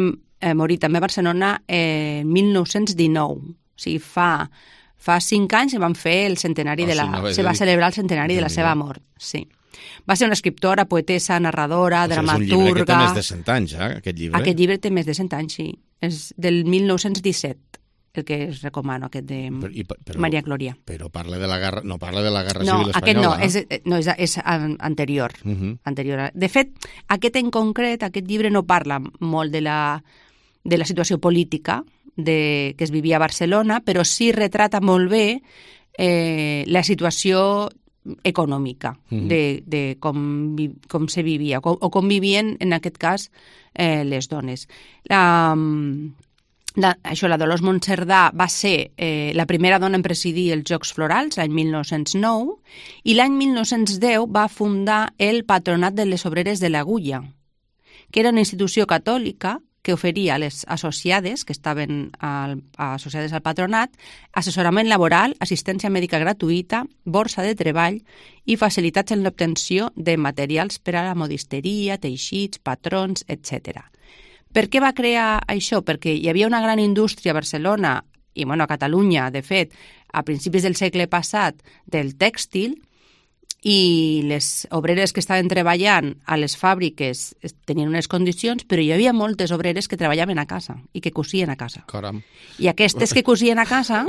morir també a Barcelona en 1919. O sigui, fa 5 anys van fer el centenari se va celebrar el centenari de la seva mort. Sí. Va ser una escriptora, poetessa, narradora, dramaturga... És un llibre que té més de 100 anys, aquest llibre. Aquest llibre té més de 100 anys, sí. És del 1917. El que es recomano, aquest de Maria Glòria. Però parla de la guerra, no parla de la guerra civil espanyola. No, és anterior. Anterior. De fet, aquest en concret, aquest llibre no parla molt de la situació política que es vivia a Barcelona, però sí retrata molt bé la situació econòmica de com se vivia o com vivien, en aquest cas, les dones. La Dolors Monserdà va ser la primera dona en presidir els Jocs Florals l'any 1909 i l'any 1910 va fundar el Patronat de les Obreres de l'Agulla, que era una institució catòlica que oferia a les associades, que estaven associades al patronat, assessorament laboral, assistència mèdica gratuïta, borsa de treball i facilitats en l'obtenció de materials per a la modisteria, teixits, patrons, etc. Per què va crear això? Perquè hi havia una gran indústria a Barcelona i a Catalunya, de fet, a principis del segle passat, del tèxtil, i les obreres que estaven treballant a les fàbriques tenien unes condicions, però hi havia moltes obreres que treballaven a casa i que cosien a casa. Caram. I aquestes que cosien a casa...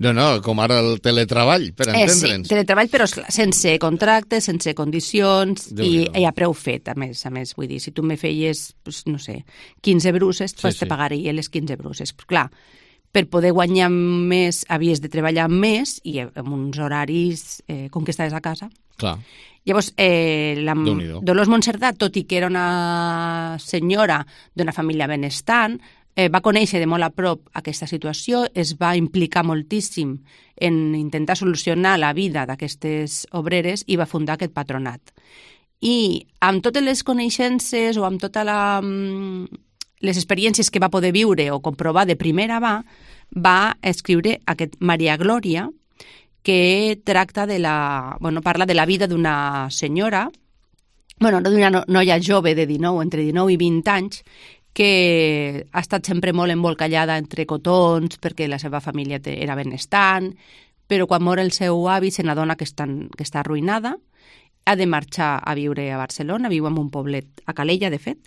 No, com ara el teletreball, per entendre'ns. Sí, teletreball, però sense contractes, sense condicions i a preu fet, a més. Vull dir, si tu me feies, no sé, 15 bruses, pues te pagaria les 15 bruses. Però, clar, per poder guanyar més havies de treballar més i amb uns horaris com que estaves a casa. Clar. Llavors, la Dolors Monserdà, tot i que era una senyora d'una família benestant, va conèixer de molt a prop aquesta situació, es va implicar moltíssim en intentar solucionar la vida d'aquestes obreres i va fundar aquest patronat. I amb totes les coneixences o amb totes les experiències que va poder viure o comprovar de primera va escriure aquest Maria Glòria, que tracta parla de la vida d'una senyora, d'una noia jove de 19, entre 19 i 20 anys, que ha estat sempre molt embolcallada entre cotons perquè la seva família era benestant, però quan mor el seu avi se n'adona que està arruïnada, ha de marxar a viure a Barcelona, viu en un poblet, a Calella, de fet,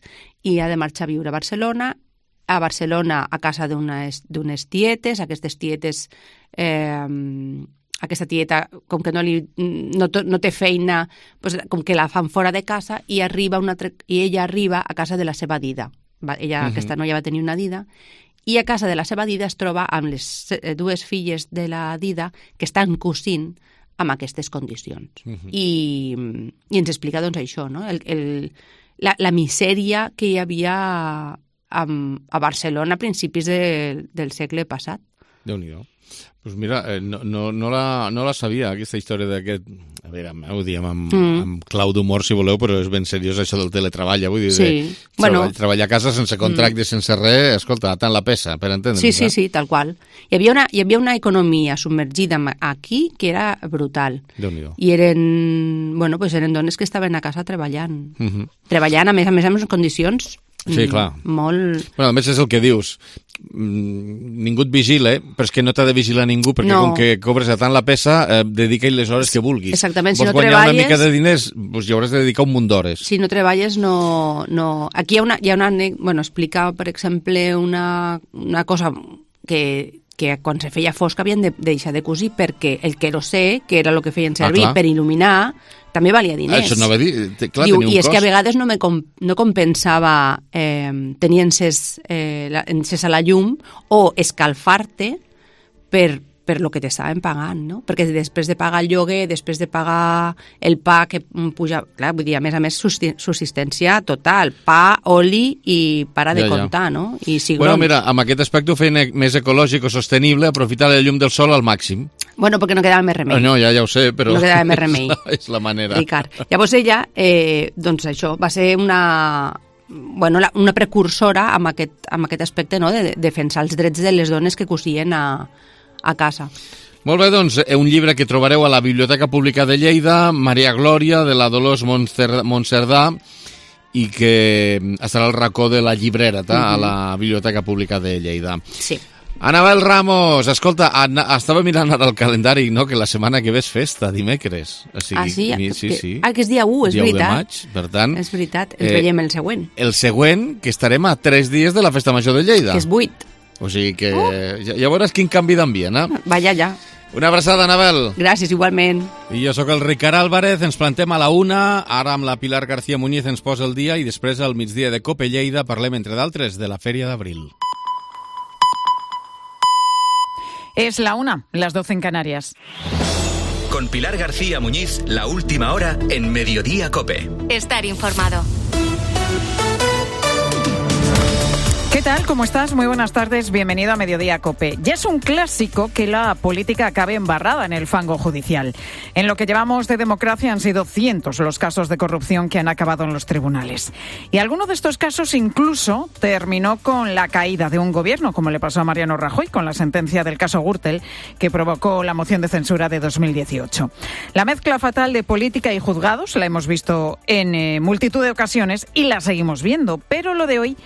i ha de marxar a viure a Barcelona a casa d'unes tietes, aquestes tietes... aquesta tieta, com que no té feina, com que la fan fora de casa i ella arriba a casa de la seva dida. Aquesta noia va tenir una dida i a casa de la seva dida es troba amb les dues filles de la dida que estan cosint amb aquestes condicions. I ens explica això, no? La misèria que hi havia a Barcelona a principis del segle passat. Déu-n'hi-do. Doncs mira, no la sabia, aquesta història d'aquest... A veure, ho diem amb clau d'humor, si voleu, però és ben seriós això del teletreball, vull dir, treballar a casa sense contracte, sense res, escolta, tant la pesa, per entendre'ns. Sí, tal qual. Hi havia una economia submergida aquí que era brutal. Déu-n'hi-do. I eren dones que estaven a casa treballant. Treballant, a més, en condicions... Sí, clar. Molt... A més és el que dius, ningú et vigila, però és que no t'ha de vigilar ningú, perquè com que cobres a tant la pesa, dedica-hi les hores que vulguis. Exactament, si no treballes... Vols guanyar una mica de diners, doncs hi hauràs de dedicar un munt d'hores. Si no treballes, no... Aquí hi ha una... explica, per exemple, una cosa que quan se feia fosc havien de deixar de cosir perquè el querosè, que era el que feien servir per il·luminar, també valia diners. Això no va dir... Clar, diu, i és que a vegades no compensava tenir encès a la llum o escalfar-te per lo que t'estaven pagant, no? Perquè després de pagar el lloguer, després de pagar el pa que puja... Clar, vull dir, a més, subsistència total. Pa, oli i para de comptar, no? I cigrons. Bueno, mira, amb aquest aspecte ho feien més ecològic o sostenible, aprofitar la llum del sol al màxim. Bueno, perquè no quedava més remei. No, ja ho sé, però... No quedava més remei. És la manera. Ricard. Llavors ella, doncs això, va ser una precursora amb aquest aspecte, no?, de defensar els drets de les dones que cosien a casa. Molt bé, doncs, un llibre que trobareu a la Biblioteca Pública de Lleida, Maria Glòria, de la Dolors Monserdà, i que estarà al racó de la llibrera, a la Biblioteca Pública de Lleida. Sí. Anabel Ramos, escolta, estava mirant ara el calendari, no?, que la setmana que ve és festa, dimecres. O sigui, sí. Que és dia 1, és dia veritat. Dia 1 de maig, per tant... És veritat, ens veiem el següent. El següent, que estarem a 3 dies de la Festa Major de Lleida. Que és 8. O sigui que ja veuràs quin canvi d'ambient, eh? Vaya ja. Una abraçada, Anabel. Gràcies, igualment. I jo sóc el Ricard Álvarez, ens plantem a la 1, ara amb la Pilar García Muñiz ens posa el dia i després al migdia de Cope Lleida parlem, entre d'altres, de la Fèria d'Abril. Es la 1, las 12 en Canarias. Con Pilar García Muñiz, la última hora en Mediodía Cope. Estar informado. ¿Qué tal? ¿Cómo estás? Muy buenas tardes. Bienvenido a Mediodía Cope. Ya es un clásico que la política acabe embarrada en el fango judicial. En lo que llevamos de democracia han sido cientos los casos de corrupción que han acabado en los tribunales. Y alguno de estos casos incluso terminó con la caída de un gobierno, como le pasó a Mariano Rajoy con la sentencia del caso Gürtel, que provocó la moción de censura de 2018. La mezcla fatal de política y juzgados la hemos visto en multitud de ocasiones y la seguimos viendo, pero lo de hoy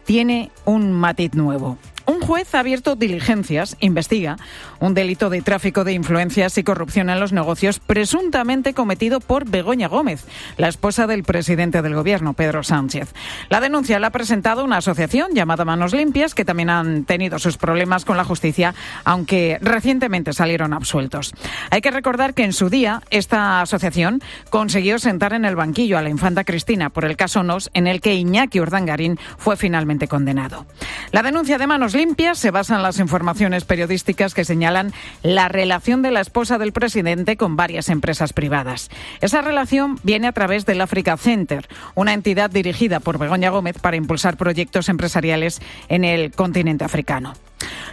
tiene un matiz nuevo. Un juez ha abierto diligencias, investiga un delito de tráfico de influencias y corrupción en los negocios presuntamente cometido por Begoña Gómez, la esposa del presidente del gobierno, Pedro Sánchez. La denuncia la ha presentado una asociación llamada Manos Limpias, que también han tenido sus problemas con la justicia, aunque recientemente salieron absueltos. Hay que recordar que en su día esta asociación consiguió sentar en el banquillo a la infanta Cristina por el caso Nos, en el que Iñaki Urdangarín fue finalmente condenado. La denuncia de Manos Limpias se basa en las informaciones periodísticas que señalan la relación de la esposa del presidente con varias empresas privadas. Esa relación viene a través del Africa Center, una entidad dirigida por Begoña Gómez para impulsar proyectos empresariales en el continente africano.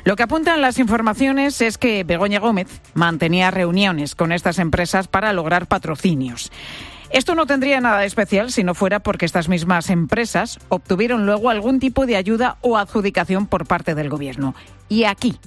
Lo que apuntan las informaciones es que Begoña Gómez mantenía reuniones con estas empresas para lograr patrocinios. Esto no tendría nada de especial si no fuera porque estas mismas empresas obtuvieron luego algún tipo de ayuda o adjudicación por parte del gobierno. Y aquí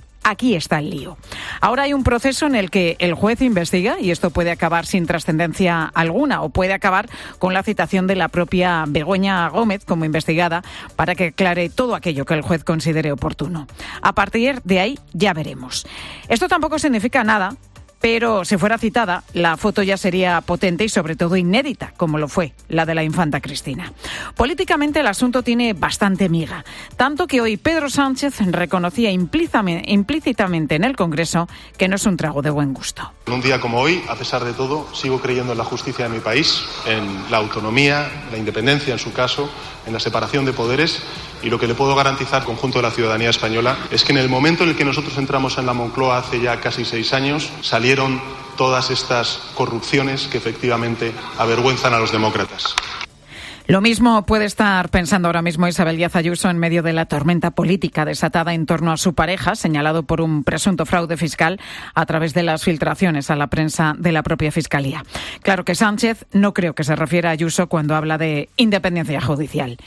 está el lío. Ahora hay un proceso en el que el juez investiga y esto puede acabar sin trascendencia alguna o puede acabar con la citación de la propia Begoña Gómez como investigada para que aclare todo aquello que el juez considere oportuno. A partir de ahí ya veremos. Esto tampoco significa nada, pero si fuera citada, la foto ya sería potente y sobre todo inédita, como lo fue la de la infanta Cristina. Políticamente el asunto tiene bastante miga, tanto que hoy Pedro Sánchez reconocía implícitamente en el Congreso que no es un trago de buen gusto. En un día como hoy, a pesar de todo, sigo creyendo en la justicia de mi país, en la autonomía, la independencia en su caso, en la separación de poderes. Y lo que le puedo garantizar al conjunto de la ciudadanía española es que en el momento en el que nosotros entramos en la Moncloa hace ya casi 6 años, salieron todas estas corrupciones que efectivamente avergüenzan a los demócratas. Lo mismo puede estar pensando ahora mismo Isabel Díaz Ayuso en medio de la tormenta política desatada en torno a su pareja, señalado por un presunto fraude fiscal a través de las filtraciones a la prensa de la propia Fiscalía. Claro que Sánchez no creo que se refiera a Ayuso cuando habla de independencia judicial.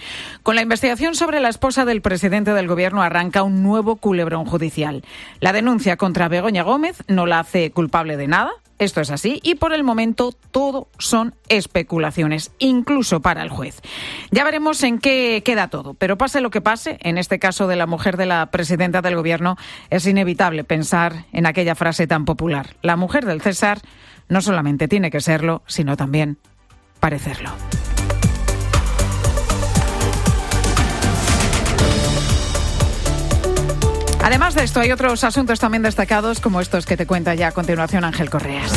Con la investigación sobre la esposa del presidente del gobierno arranca un nuevo culebrón judicial. La denuncia contra Begoña Gómez no la hace culpable de nada. Esto es así y por el momento todo son especulaciones, incluso para el juez. Ya veremos en qué queda todo, pero pase lo que pase, en este caso de la mujer de la presidenta del gobierno, es inevitable pensar en aquella frase tan popular. La mujer del César no solamente tiene que serlo, sino también parecerlo. Además de esto, hay otros asuntos también destacados, como estos que te cuenta ya a continuación Ángel Correas.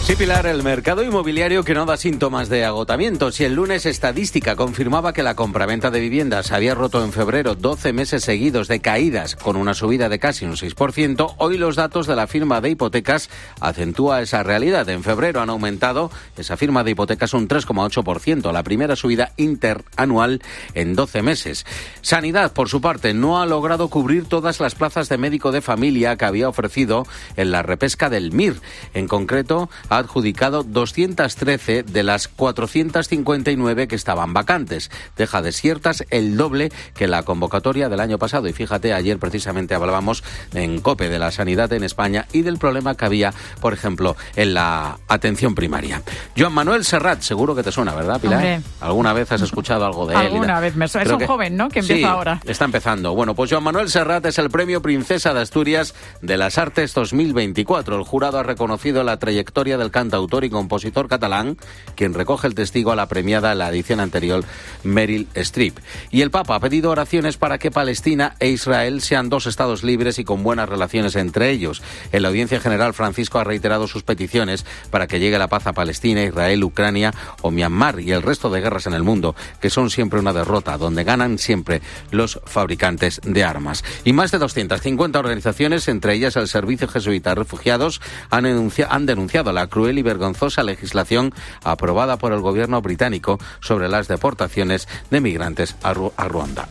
Sí, Pilar, el mercado inmobiliario que no da síntomas de agotamiento. Si el lunes Estadística confirmaba que la compraventa de viviendas había roto en febrero 12 meses seguidos de caídas con una subida de casi un 6%, hoy los datos de la firma de hipotecas acentúa esa realidad. En febrero han aumentado esa firma de hipotecas un 3,8%, la primera subida interanual en 12 meses. Sanidad, por su parte, no ha logrado cubrir todas las plazas de médico de familia que había ofrecido en la repesca del MIR. En concreto, ha adjudicado 213 de las 459 que estaban vacantes. Deja desiertas el doble que la convocatoria del año pasado. Y fíjate, ayer precisamente hablábamos en COPE de la sanidad en España y del problema que había, por ejemplo, en la atención primaria. Joan Manuel Serrat, seguro que te suena, ¿verdad, Pilar? Hombre. ¿Alguna vez has escuchado algo de él? Alguna vez me suena. Es un joven, ¿no?, que empieza ahora. Está empezando. Bueno, pues Joan Manuel Serrat es el premio Princesa de Asturias de las Artes 2024. El jurado ha reconocido la trayectoria del cantautor y compositor catalán, quien recoge el testigo a la premiada en la edición anterior, Meryl Streep. Y el Papa ha pedido oraciones para que Palestina e Israel sean dos estados libres y con buenas relaciones entre ellos. En la audiencia general, Francisco ha reiterado sus peticiones para que llegue la paz a Palestina, Israel, Ucrania o Myanmar y el resto de guerras en el mundo, que son siempre una derrota, donde ganan siempre los fabricantes de armas. Y más de 250 organizaciones, entre ellas el Servicio Jesuita de Refugiados, han denunciado la cruel y vergonzosa legislación aprobada por el gobierno británico sobre las deportaciones de migrantes a Ruanda.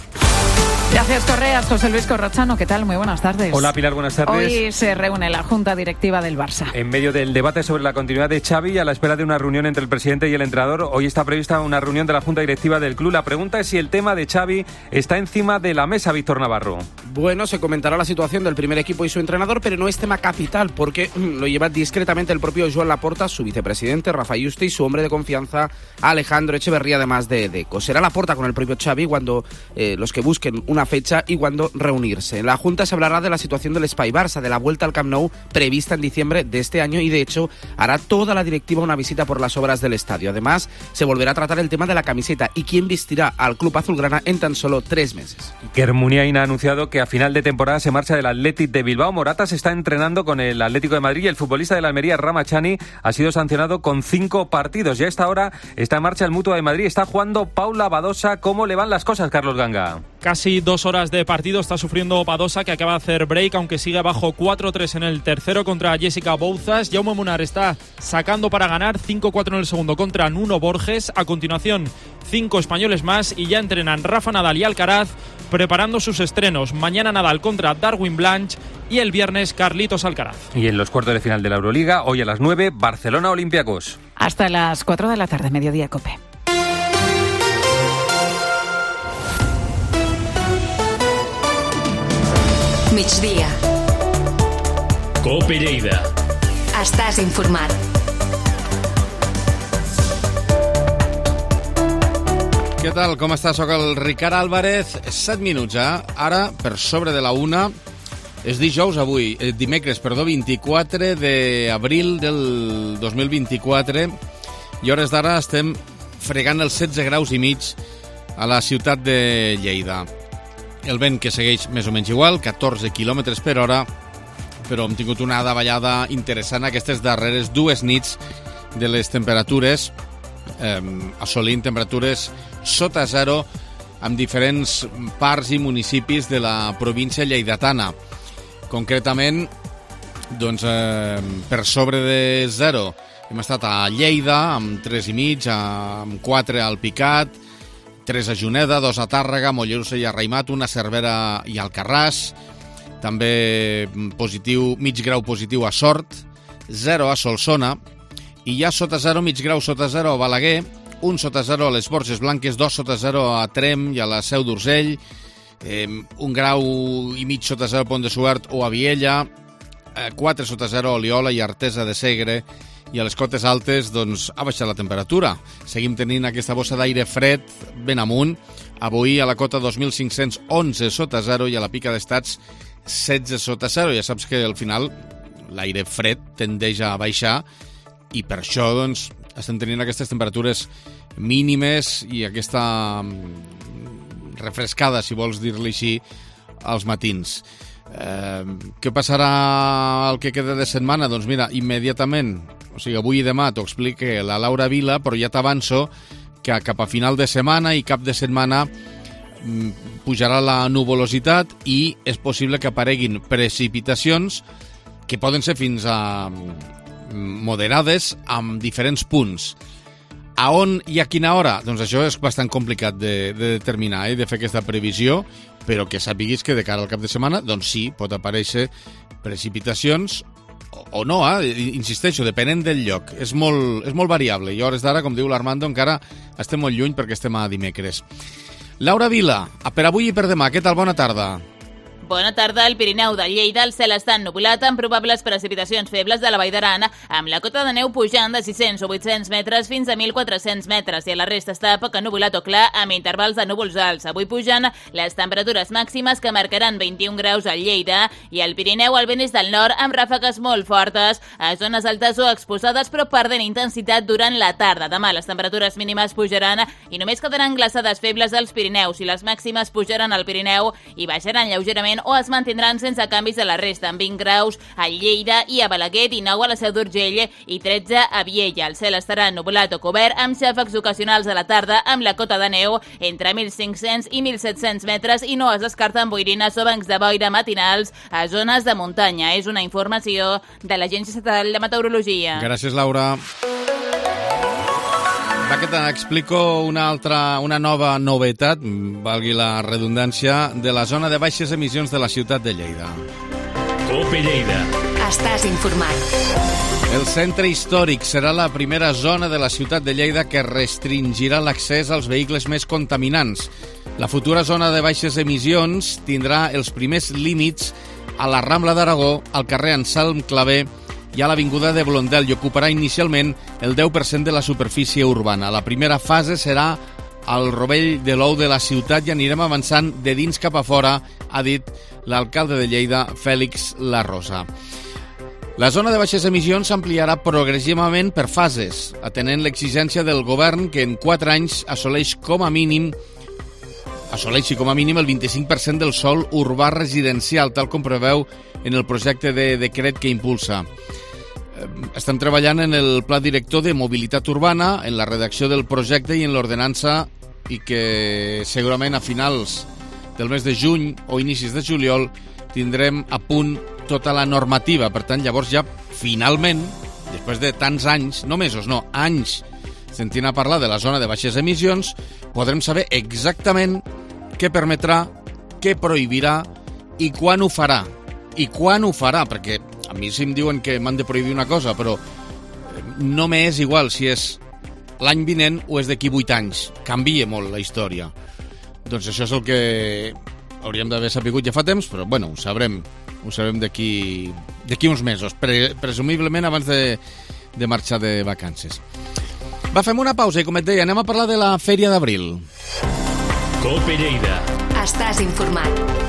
Gracias, Correas. José Luis Corrochano, ¿qué tal? Muy buenas tardes. Hola, Pilar, buenas tardes. Hoy se reúne la Junta Directiva del Barça. En medio del debate sobre la continuidad de Xavi, a la espera de una reunión entre el presidente y el entrenador, hoy está prevista una reunión de la Junta Directiva del club. La pregunta es si el tema de Xavi está encima de la mesa, Víctor Navarro. Bueno, se comentará la situación del primer equipo y su entrenador, pero no es tema capital, porque lo lleva discretamente el propio Joan Laporta, su vicepresidente, Rafa Yuste, y su hombre de confianza, Alejandro Echeverría, además de Deco. Será Laporta con el propio Xavi cuando los que busquen una fecha y cuando reunirse. En la Junta se hablará de la situación del Espai Barça, de la vuelta al Camp Nou prevista en diciembre de este año y, de hecho, hará toda la directiva una visita por las obras del estadio. Además, se volverá a tratar el tema de la camiseta y quién vestirá al club azulgrana en tan solo 3 meses. Iker Muniain ha anunciado que a final de temporada se marcha del Athletic de Bilbao. Morata se está entrenando con el Atlético de Madrid y el futbolista de la Almería, Ramachani, ha sido sancionado con 5 partidos. Ya a esta hora está en marcha el Mutua de Madrid. Está jugando Paula Badosa. ¿Cómo le van las cosas, Carlos Ganga? Casi 2 horas de partido está sufriendo Badosa, que acaba de hacer break, aunque sigue abajo 4-3 en el tercero contra Jessica Bouzas. Jaume Munar está sacando para ganar, 5-4 en el segundo contra Nuno Borges. A continuación, 5 españoles más y ya entrenan Rafa Nadal y Alcaraz preparando sus estrenos. Mañana Nadal contra Darwin Blanch y el viernes Carlitos Alcaraz. Y en los cuartos de final de la Euroliga, hoy a las 9, Barcelona Olympiacos. Hasta las 4 de la tarde, Mediodía Cope. Migdia. Cope Lleida. Estàs informat. Què tal? Com estàs? Soc el Ricard Álvarez. 7 minuts, Ara, per sobre de la 1, és dijous avui, dimecres, 24 d'abril del 2024, i hores d'ara estem fregant els 16 graus i mig a la ciutat de Lleida. El vent que segueix més o menys igual, 14 km per hora, però hem tingut una davallada interessant aquestes darreres 2 nits de les temperatures, assolint temperatures sota zero en diferents parts i municipis de la província lleidatana. Concretament, doncs, per sobre de zero hem estat a Lleida amb 3,5, amb 4 al Picat, 3 a Juneda, 2 a Tàrrega, Mollerussa i a Raimat, 1 a Cervera i Alcarràs, també positiu, mig grau positiu a Sort, 0 a Solsona, i ja sota 0, mig grau sota 0 a Balaguer, 1 sota 0 a les Borges Blanques, 2 sota 0 a Trem i a la Seu d'Urgell, 1 grau i mig sota 0 a Pont de Suert o a Viella, 4 sota 0 a Oliola i Artesa de Segre, i a les cotes altes doncs, ha baixat la temperatura. Seguim tenint aquesta bossa d'aire fred ben amunt. Avui a la cota 2.511 sota 0 i a la Pica d'Estats 16 sota 0. Ja saps que al final l'aire fred tendeix a baixar i per això doncs, estem tenint aquestes temperatures mínimes i aquesta refrescada, si vols dir-li així, als matins. Què passarà el que queda de setmana? Doncs mira, immediatament, o sigui, avui i demà t'ho explica la Laura Vila, però ja t'avanço que cap a final de setmana i cap de setmana pujarà la nuvolositat i és possible que apareguin precipitacions que poden ser fins a moderades en diferents punts. A on i a quina hora? Doncs això és bastant complicat de determinar, de fer aquesta previsió, però que sapiguis que de cara al cap de setmana, doncs sí, pot aparèixer precipitacions o no, insisteixo, depenent del lloc. És molt variable i a hores d'ara, com diu l'Armando, encara estem molt lluny perquè estem a dimecres. Laura Vila, per avui i per demà, què tal? Bona tarda. Bona tarda. Al Pirineu de Lleida el cel està ennubulat amb probables precipitacions febles de la Vall d'Aran, amb la cota de neu pujant de 600 o 800 metres fins a 1.400 metres i a la resta està poc ennubulat o clar amb intervals de núvols alts. Avui pugen les temperatures màximes que marcaran 21 graus a Lleida i al Pirineu el vent és del nord amb ràfegues molt fortes a zones altes o exposades però perdent intensitat durant la tarda. Demà les temperatures mínimes pujaran i només quedaran glaçades febles als Pirineus i les màximes pujaran al Pirineu i baixaran lleugerament o es mantindran sense canvis a la resta, amb 20 graus a Lleida i a Balaguer, 19 a la Seu d'Urgell i 13 a Viella. El cel estarà ennubulat o cobert amb xàfecs ocasionals a la tarda amb la cota de neu entre 1.500 i 1.700 metres i no es descarten boirines o bancs de boira matinals a zones de muntanya. És una informació de l'Agència Estatal de Meteorologia. Gràcies, Laura. Va que t'explico una nova novetat, valgui la redundància, de la zona de baixes emissions de la ciutat de Lleida. COPE Lleida. Estàs informat. El centre històric serà la primera zona de la ciutat de Lleida que restringirà l'accés als vehicles més contaminants. La futura zona de baixes emissions tindrà els primers límits a la Rambla d'Aragó, al carrer Anselm Clavé i a l'avinguda de Blondel i ocuparà inicialment el 10% de la superfície urbana. La primera fase serà al rovell de l'ou de la ciutat i anirem avançant de dins cap a fora, ha dit l'alcalde de Lleida, Fèlix La Rosa. La zona de baixes emissions s'ampliarà progressivament per fases, atenent l'exigència del govern que en 4 anys assoleixi com a mínim el 25% del sòl urbà residencial, tal com preveu en el projecte de decret que impulsa. Estem treballant en el pla director de mobilitat urbana, en la redacció del projecte i en l'ordenança i que segurament a finals del mes de juny o inicis de juliol tindrem a punt tota la normativa. Per tant, llavors ja finalment, després de tants anys, no mesos, no, anys, sentint a parlar de la zona de baixes emissions, podrem saber exactament què permetrà, què prohibirà i quan ho farà. I quan ho farà, perquè a mi sí em diuen que m'han de prohibir una cosa, però no m'és igual si és l'any vinent o és d'aquí 8 anys. Canvia molt la història. Doncs això és el que hauríem d'haver sapigut ja fa temps, però bueno, ho sabrem d'aquí uns mesos, presumiblement abans de marxar de vacances. Va, fem una pausa i, com et deia, anem a parlar de la Fèria d'Abril. COPE Lleida. Estàs informat.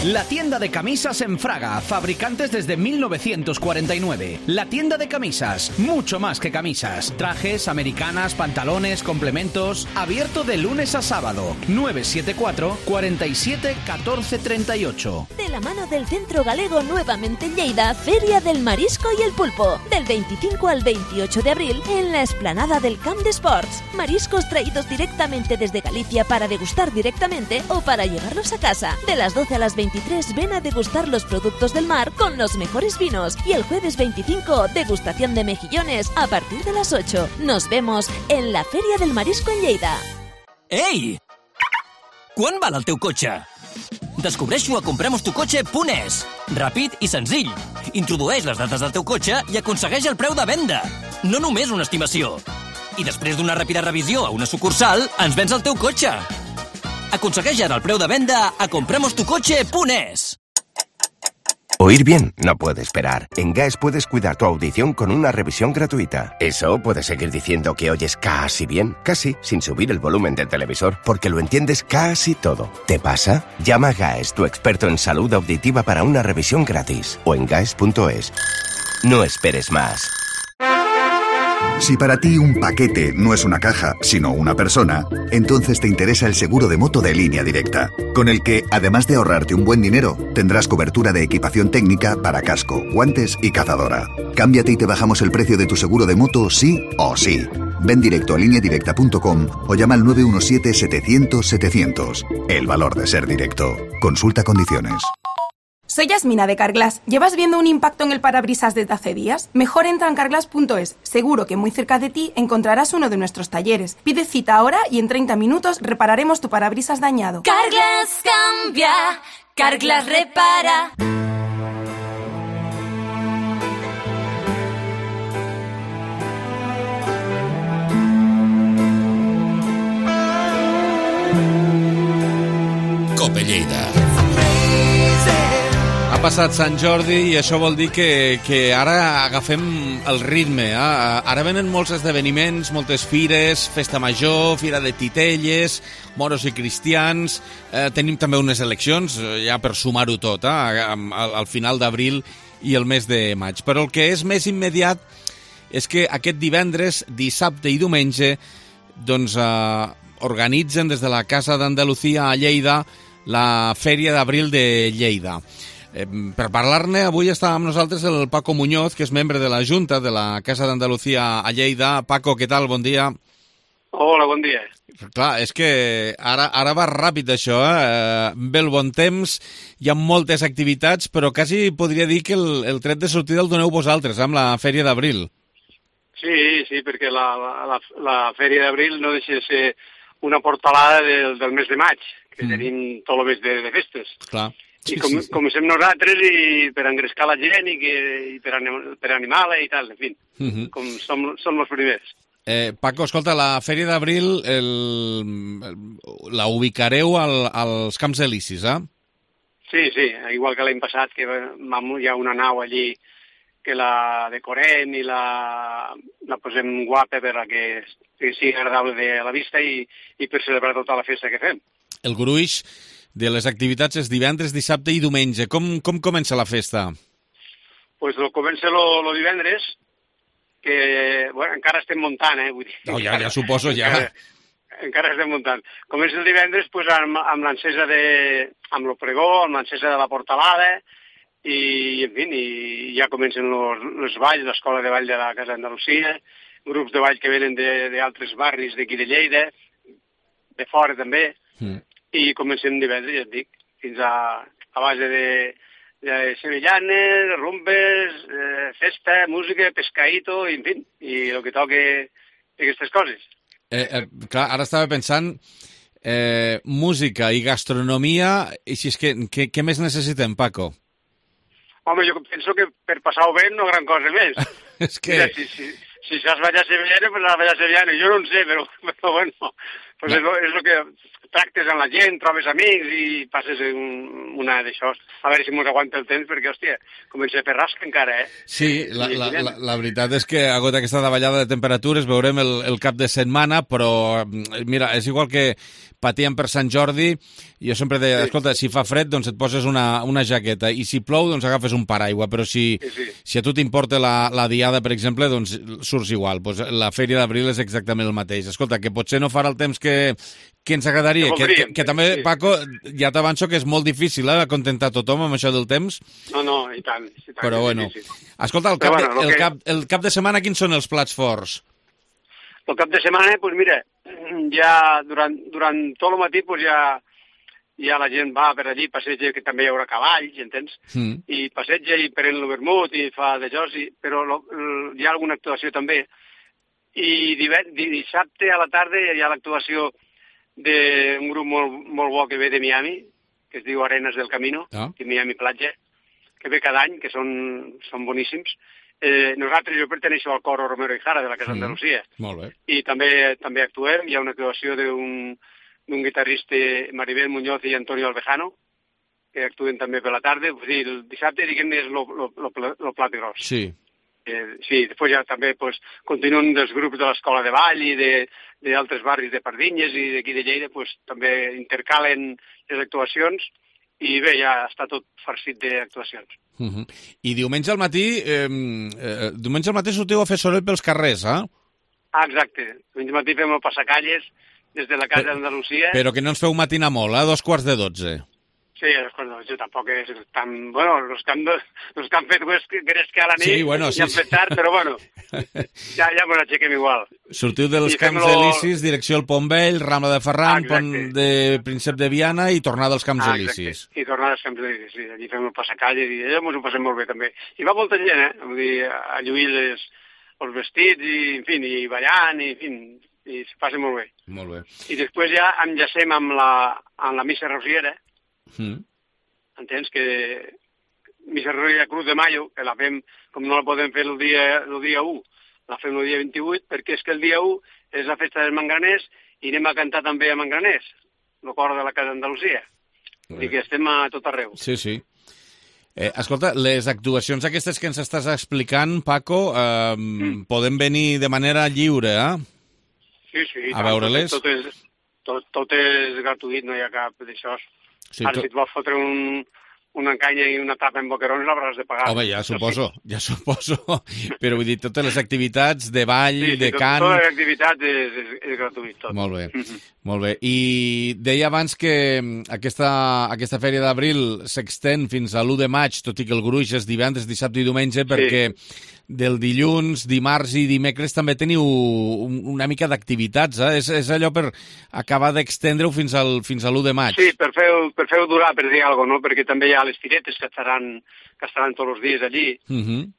La tienda de camisas en Fraga, fabricantes desde 1949. La tienda de camisas, mucho más que camisas. Trajes, americanas, pantalones, complementos. Abierto de lunes a sábado. 974 47 14 38. De la mano del Centro Galego nuevamente en Lleida, Feria del Marisco y el Pulpo. Del 25 al 28 de abril en la explanada del Camp de Sports. Mariscos traídos directamente desde Galicia para degustar directamente o para llevarlos a casa. De las 12 a las 23 ven a degustar los productos del mar con los mejores vinos. Y el jueves 25, degustación de mejillones a partir de las 8. Nos vemos en la Feria del Marisco en Lleida. Ei! Quan val el teu cotxe? Descobreix-ho a compremostucotxe.es. Ràpid i senzill. Introdueix les dades del teu cotxe i aconsegueix el preu de venda. No només una estimació. I després d'una ràpida revisió a una sucursal, ens vens el teu cotxe. Aconsegueix ara el preu de venda a compremostucotxe.es. Oír bien no puede esperar. En GAES puedes cuidar tu audición con una revisión gratuita. Eso puedes seguir diciendo que oyes casi bien, casi sin subir el volumen del televisor, porque lo entiendes casi todo. ¿Te pasa? Llama a GAES, tu experto en salud auditiva, para una revisión gratis. O en gaes.es. No esperes más. Si para ti un paquete no es una caja, sino una persona, entonces te interesa el seguro de moto de Línea Directa, con el que, además de ahorrarte un buen dinero, tendrás cobertura de equipación técnica para casco, guantes y cazadora. Cámbiate y te bajamos el precio de tu seguro de moto sí o sí. Ven directo a lineadirecta.com o llama al 917-700-700. El valor de ser directo. Consulta condiciones. Soy Yasmina de Carglass. ¿Llevas viendo un impacto en el parabrisas desde hace días? Mejor entra en carglass.es. Seguro que muy cerca de ti encontrarás uno de nuestros talleres. Pide cita ahora y en 30 minutos repararemos tu parabrisas dañado. Carglass cambia, Carglass repara. passat Sant Jordi i això vol dir que ara agafem el ritme. Ara venen molts esdeveniments, moltes fires, festa major, fira de titelles, moros i cristians. Tenim també unes eleccions, ja per sumar-ho tot, al final d'abril i el mes de maig. Però el que és més immediat és que aquest divendres, dissabte i diumenge doncs, organitzen des de la Casa d'Andalucía a Lleida la Fèria d'Abril de Lleida. Per parlar-ne, avui està amb nosaltres el Paco Muñoz, que és membre de la Junta de la Casa d'Andalucía a Lleida. Paco, què tal? Bon dia. Hola, bon dia. Clar, és que ara va ràpid això, ve el bon temps, hi ha moltes activitats, però quasi podria dir que el tret de sortida el doneu vosaltres, amb la Fèria d'Abril. Sí, perquè la Fèria d'Abril no deixa de ser una portalada del mes de maig, que tenim tot el mes de festes. Clar. I comencem nosaltres i per engrescar la gent i per animar-la i tal, en fi, com som els primers. Paco, escolta, la Fèria d'Abril la ubicareu als Camps Elisis, eh? Sí, igual que l'any passat, que hi ha una nau allí que la decorem i la posem guapa per a que sigui agradable a la vista i per celebrar tota la festa que fem. El gruix de les activitats és divendres, dissabte i diumenge. Com comença la festa? Pues comença el divendres, que encara estem muntant, vull dir. No, ja suposo, ja. Encara estem muntant. Comença el divendres pues, amb l'encesa amb el pregó, amb l'encesa de la portalada, i en fi, ja comencen els balls, l'escola de ball de la Casa d'Andalusia, grups de ball que venen d'altres barris d'aquí de Lleida, de fora també, i comencem divendres, ja et dic, fins a base de sevillanes, rumbes, festa, música, pescaïto, en fi, i el que toque aquestes coses. Clar, ara estava pensant, música i gastronomia, i si és que, què més necessitem, Paco? Home, jo penso que per passar-ho bé no gran cosa més. És que... Mira, si saps ballar sevillana, pues la ballar sevillana. Jo no en sé, però bueno, pues és el que tractes amb la gent, trobes amics i passes una d'això. A veure si mos aguanta el temps, perquè, hòstia, comença a fer rasca encara, Sí, la veritat és que agot aquesta davallada de temperatures veurem el cap de setmana, però, mira, és igual que patíem per Sant Jordi, jo sempre deia, escolta, si fa fred, doncs et poses una jaqueta, i si plou, doncs agafes un paraigua, però si a tu t'importa la diada, per exemple, doncs surts igual. Pues la Fèria d'Abril és exactament el mateix. Escolta, que potser no farà el temps que ens agradaria, que també, Paco, ja t'avanço que és molt difícil acontentar tothom amb això del temps. No, i tant. Però bueno, escolta, el cap de setmana quins són els plats forts? El cap de setmana, doncs mira, ja durant tot el matí ja la gent va per allí, passeja, que també hi haurà cavalls, entens? I passeja i pren el vermut i fa d'això, però hi ha alguna actuació també. I dissabte a la tarda hi ha l'actuació d'un grup molt bo que ve de Miami, que es diu Arenas del Camino, de Miami Platja, que ve cada any, que són boníssims. Nosaltres, jo perteneixo al coro Romero y Jara de la Casa d'Andalusia. Molt bé. I també actuem, hi ha una actuació d'un guitarrista, Maribel Muñoz i Antonio Albejano, que actuen també per la tarda. Vull dir, el dissabte, diguem-ne, és el plat gros. Sí. Sí, després ja també continuen dels grups de l'escola de ball i d'altres barris de Pardinyes i d'aquí de Lleida, també intercalen les actuacions i bé, ja està tot farcit d'actuacions. I diumenge al matí sortiu a fer soroll pels carrers, eh? Exacte. Diumenge al matí fem el passacalles des de la Casa d'Andalusia. Però que no ens feu matina molt, 2:45. Sí, jo tampoc és tan... Bueno, els que han fet gresca a la nit ja han fet tard, però bueno, ja ens aixequem igual. Sortiu dels Camps Elisis, direcció al Pont Vell, Rambla de Ferran, Pont de Príncep de Viana i tornada als Camps Elisis. I tornada als Camps Elisis, sí. Allí fem el passacalles i allà ens ho passem molt bé també. I va molta gent, Vull dir, a lluir els vestits i, en fi, i ballant, i, en fi, i se passa molt bé. Molt bé. I després ja enllacem amb la missa rosiera. Entens que missa rosiera Cruz de Mayo, que la fem, com no la podem fer el dia 1, la fem el dia 28, perquè és que el dia 1 és la festa dels mangraners i anem a cantar també a Mangraners, el cor de la Casa d'Andalusia. Vull dir que estem a tot arreu. Sí. Escolta, les actuacions aquestes que ens estàs explicant, Paco, poden venir de manera lliure, Sí. A veure-les? Tot és gratuït, no hi ha cap d'això. Sí, Ara, si et vols fotre una encanya i una tapa en boquerons, l'hauràs de pagar. Home, ja suposo. Però vull dir, totes les activitats de ball, de cant... Totes les activitats és gratuït, tot. Molt bé, molt bé. I deia abans que aquesta fèria d'abril s'extén fins a l'1 de maig, tot i que el gruix és divendres, dissabte i diumenge, perquè del dilluns, dimarts i dimecres també teniu una mica d'activitats, És allò per acabar d'extendre-ho fins a l'1 de maig. Sí, per fer-ho durar, per dir alguna cosa, no? Perquè també hi ha les firetes que estaran tots els dies allí. No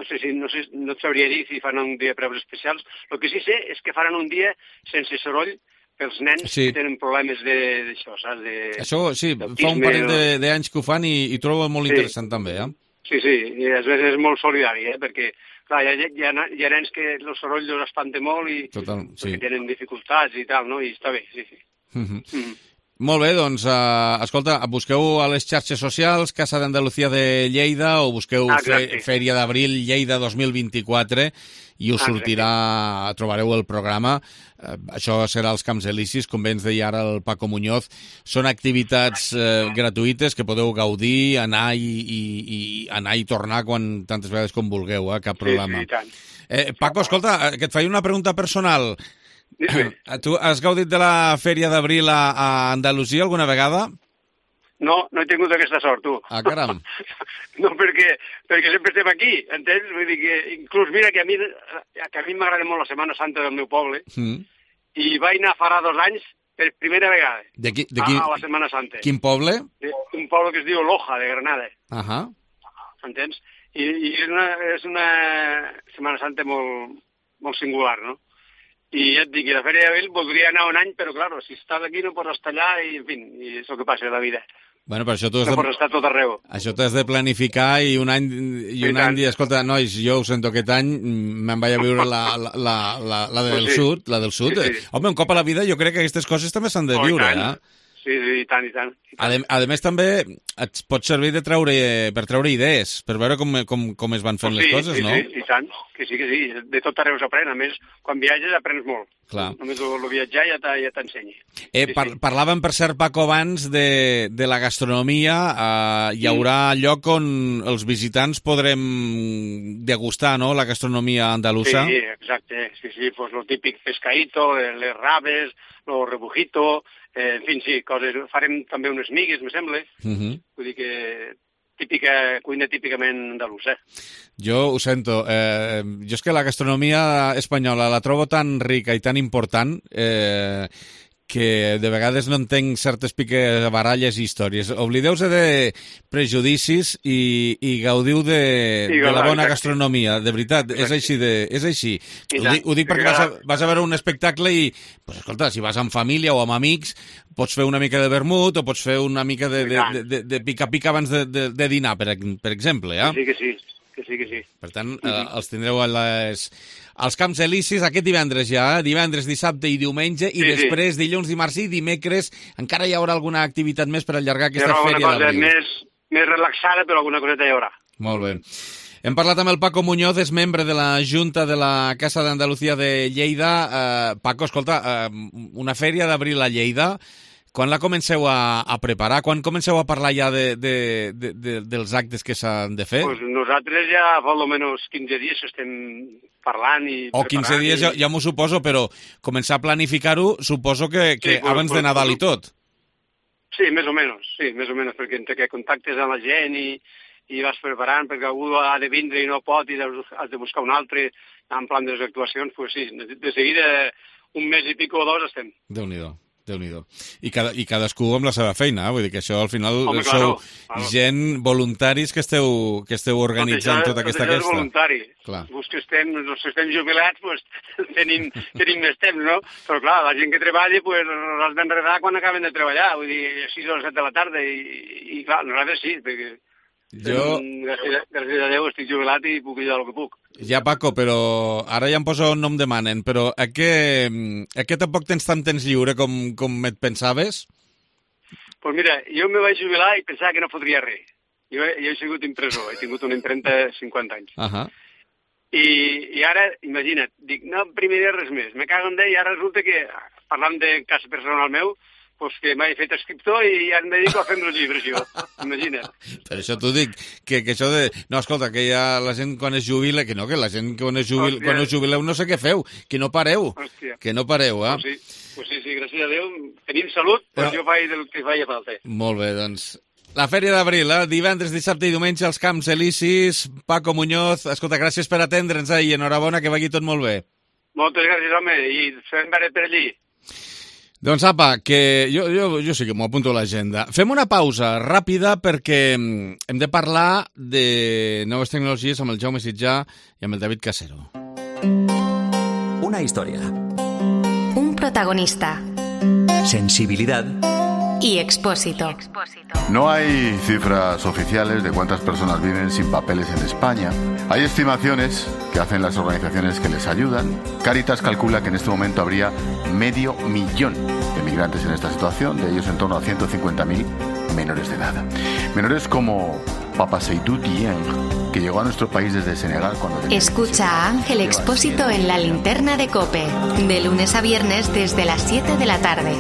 et sabria dir si fan un dia preus especials. El que sí sé és que faran un dia sense soroll pels nens que tenen problemes d'això, saps? Això, sí, fa un parell d'anys que ho fan i trobo molt interessant també, Sí, i a vegades és molt solidari, perquè clar, hi ha nens que el soroll els espanta molt i tenen dificultats i tal, no? I està bé, sí. Molt bé, doncs, escolta, busqueu a les xarxes socials Casa d'Andalucía de Lleida o busqueu Fèria d'Abril Lleida 2024 i us sortirà, trobareu el programa. Això serà als Camps Elisis, com bé ens deia ara el Paco Muñoz. Són activitats gratuïtes que podeu gaudir, anar i tornar tantes vegades com vulgueu, cap problema. Sí, i tant. Paco, escolta, que et faig una pregunta personal. Tu has gaudit de la Fèria d'Abril a Andalusia alguna vegada? No he tingut aquesta sort, tu. Caram. No, perquè sempre estem aquí, entens? Vull dir que, inclús, mira, que a mi m'agrada molt la Setmana Santa del meu poble, i vaig anar farà 2 anys per primera vegada a la Setmana Santa. Quin poble? Un poble que es diu Loja, de Granada. Entens? I és una Setmana Santa molt singular, no? I ja et dic, la Fèria d'Abril voldria anar un any, però, clar, si estàs aquí no pots estar allà i, en fi, és el que passa a la vida. Bueno, però això tu no pots estar tot arreu. Això t'has de planificar i un any dir, escolta, nois, jo ho sento, aquest any me'n vaig a viure la del sud. Home, un cop a la vida jo crec que aquestes coses també s'han de viure, Sí, i tant. A més, també et pot servir per treure idees, per veure com es van fent les coses, no? Sí, i tant, que sí. De tot arreu s'aprèn. A més, quan viatges aprens molt. Clar. Només el viatjar ja t'ensenya. Parlàvem, per cert, Paco, abans de la gastronomia. Hi haurà lloc on els visitants podrem degustar, no?, la gastronomia andalusa. Sí, exacte. Sí, pues lo típic pescadito, les rabes, lo rebujito... En fi, sí, farem també unes migues, me sembla. Vull dir que cuina típicament andalusa. Jo ho sento. Jo és que la gastronomia espanyola la trobo tan rica i tan important que de vegades no entenc certes baralles i històries. Oblideu-se de prejudicis i gaudiu de la bona gastronomia. De veritat, és així. Ho dic perquè vas a veure un espectacle i, pues, escolta, si vas amb família o amb amics, pots fer una mica de vermut o pots fer una mica de pica-pica abans de dinar, per exemple. Que sí. Per tant, els tindreu als Camps Elisis aquest divendres divendres, dissabte i diumenge, i després dilluns, dimarts i dimecres encara hi haurà alguna activitat més per allargar aquesta Fèria d'Abril. Més relaxada, però alguna coseta hi haurà. Molt bé. Hem parlat amb el Paco Muñoz, és membre de la Junta de la Casa d'Andalucía de Lleida. Paco, escolta, una Fèria d'Abril a Lleida, quan la comenceu a preparar? Quan comenceu a parlar ja dels actes que s'han de fer? Pues nosaltres ja fa almenys 15 dies estem parlant i preparant. 15 dies ja m'ho suposo, però començar a planificar-ho suposo que abans de Nadal i tot. Sí, més o menys, perquè entre que contactes amb la gent i vas preparant, perquè algú ha de vindre i no pot i has de buscar un altre en plan de les actuacions, pues sí, de seguida un mes i pico o 2 estem. Déu-n'hi-do. I cadascú amb la seva feina, vull dir que això al final sou gent voluntaris que esteu organitzant tota aquesta festa. Tot això és voluntari. Els que estem jubilats, pues, tenim més temps, no? Però clar, la gent que treballa, pues, els d'enredar quan acaben de treballar, vull dir, a 6 o 7 de la tarda, i clar, nosaltres sí, perquè gràcies a Déu estic jubilat i puc ajudar el que puc. Ja, Paco, però ara ja em poso un nom de manen, però que tampoc tens tant temps lliure com et pensaves? Pues mira, jo me vaig jubilar i pensava que no fotria res. Jo he sigut impressor, he tingut una impremta de 50 anys. I ara, imagina't, dic, no imprimiré res més, me cago en Déu, i ara resulta que, parlant de cas personal meu, pues que m'he fet escriptor i ja em dedico a fer-me els llibres, jo. Imagina't. Per això t'ho dic, que això de... No, escolta, que ja la gent quan es jubila, que no, que la gent quan us jubileu no sé què feu, que no pareu. Hòstia. Que no pareu, eh? Pues sí, gràcies a Déu, tenim salut, però jo faig del que faig falta. Molt bé, doncs... La Fèria d'Abril, divendres, dissabte i diumenge als Camps Elisis. Paco Muñoz, escolta, gràcies per atendre'ns i enhorabona, que vagi tot molt bé. Moltes gràcies, home, i fem veure per allí. Doncs apa, que jo sí que m'ho apunto a l'agenda. Fem una pausa ràpida perquè hem de parlar de noves tecnologies amb el Jaume Sitjà i amb el David Casero. Una historia. Un protagonista. Sensibilidad. Y Expósito. No hay cifras oficiales de cuántas personas viven sin papeles en España. Hay estimaciones que hacen las organizaciones que les ayudan. Cáritas calcula que en este momento habría 500.000 de migrantes en esta situación, de ellos en torno a 150.000 menores de edad. Menores como Papa Seydou Dieng, que llegó a nuestro país desde Senegal cuando... Escucha a Ángel Expósito en La Linterna de COPE, de lunes a viernes desde las 7 de la tarde.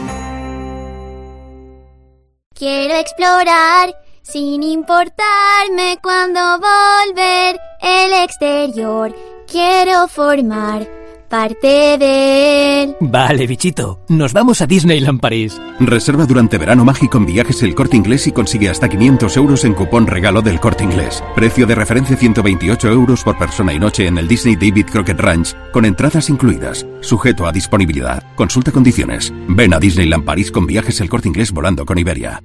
Quiero explorar sin importarme cuándo volver el exterior. Quiero formar parte de él. Vale, bichito, nos vamos a Disneyland París. Reserva durante verano mágico en Viajes El Corte Inglés y consigue hasta 500 euros en cupón regalo del Corte Inglés. Precio de referencia 128 euros por persona y noche en el Disney David Crockett Ranch, con entradas incluidas. Sujeto a disponibilidad. Consulta condiciones. Ven a Disneyland París con Viajes El Corte Inglés volando con Iberia.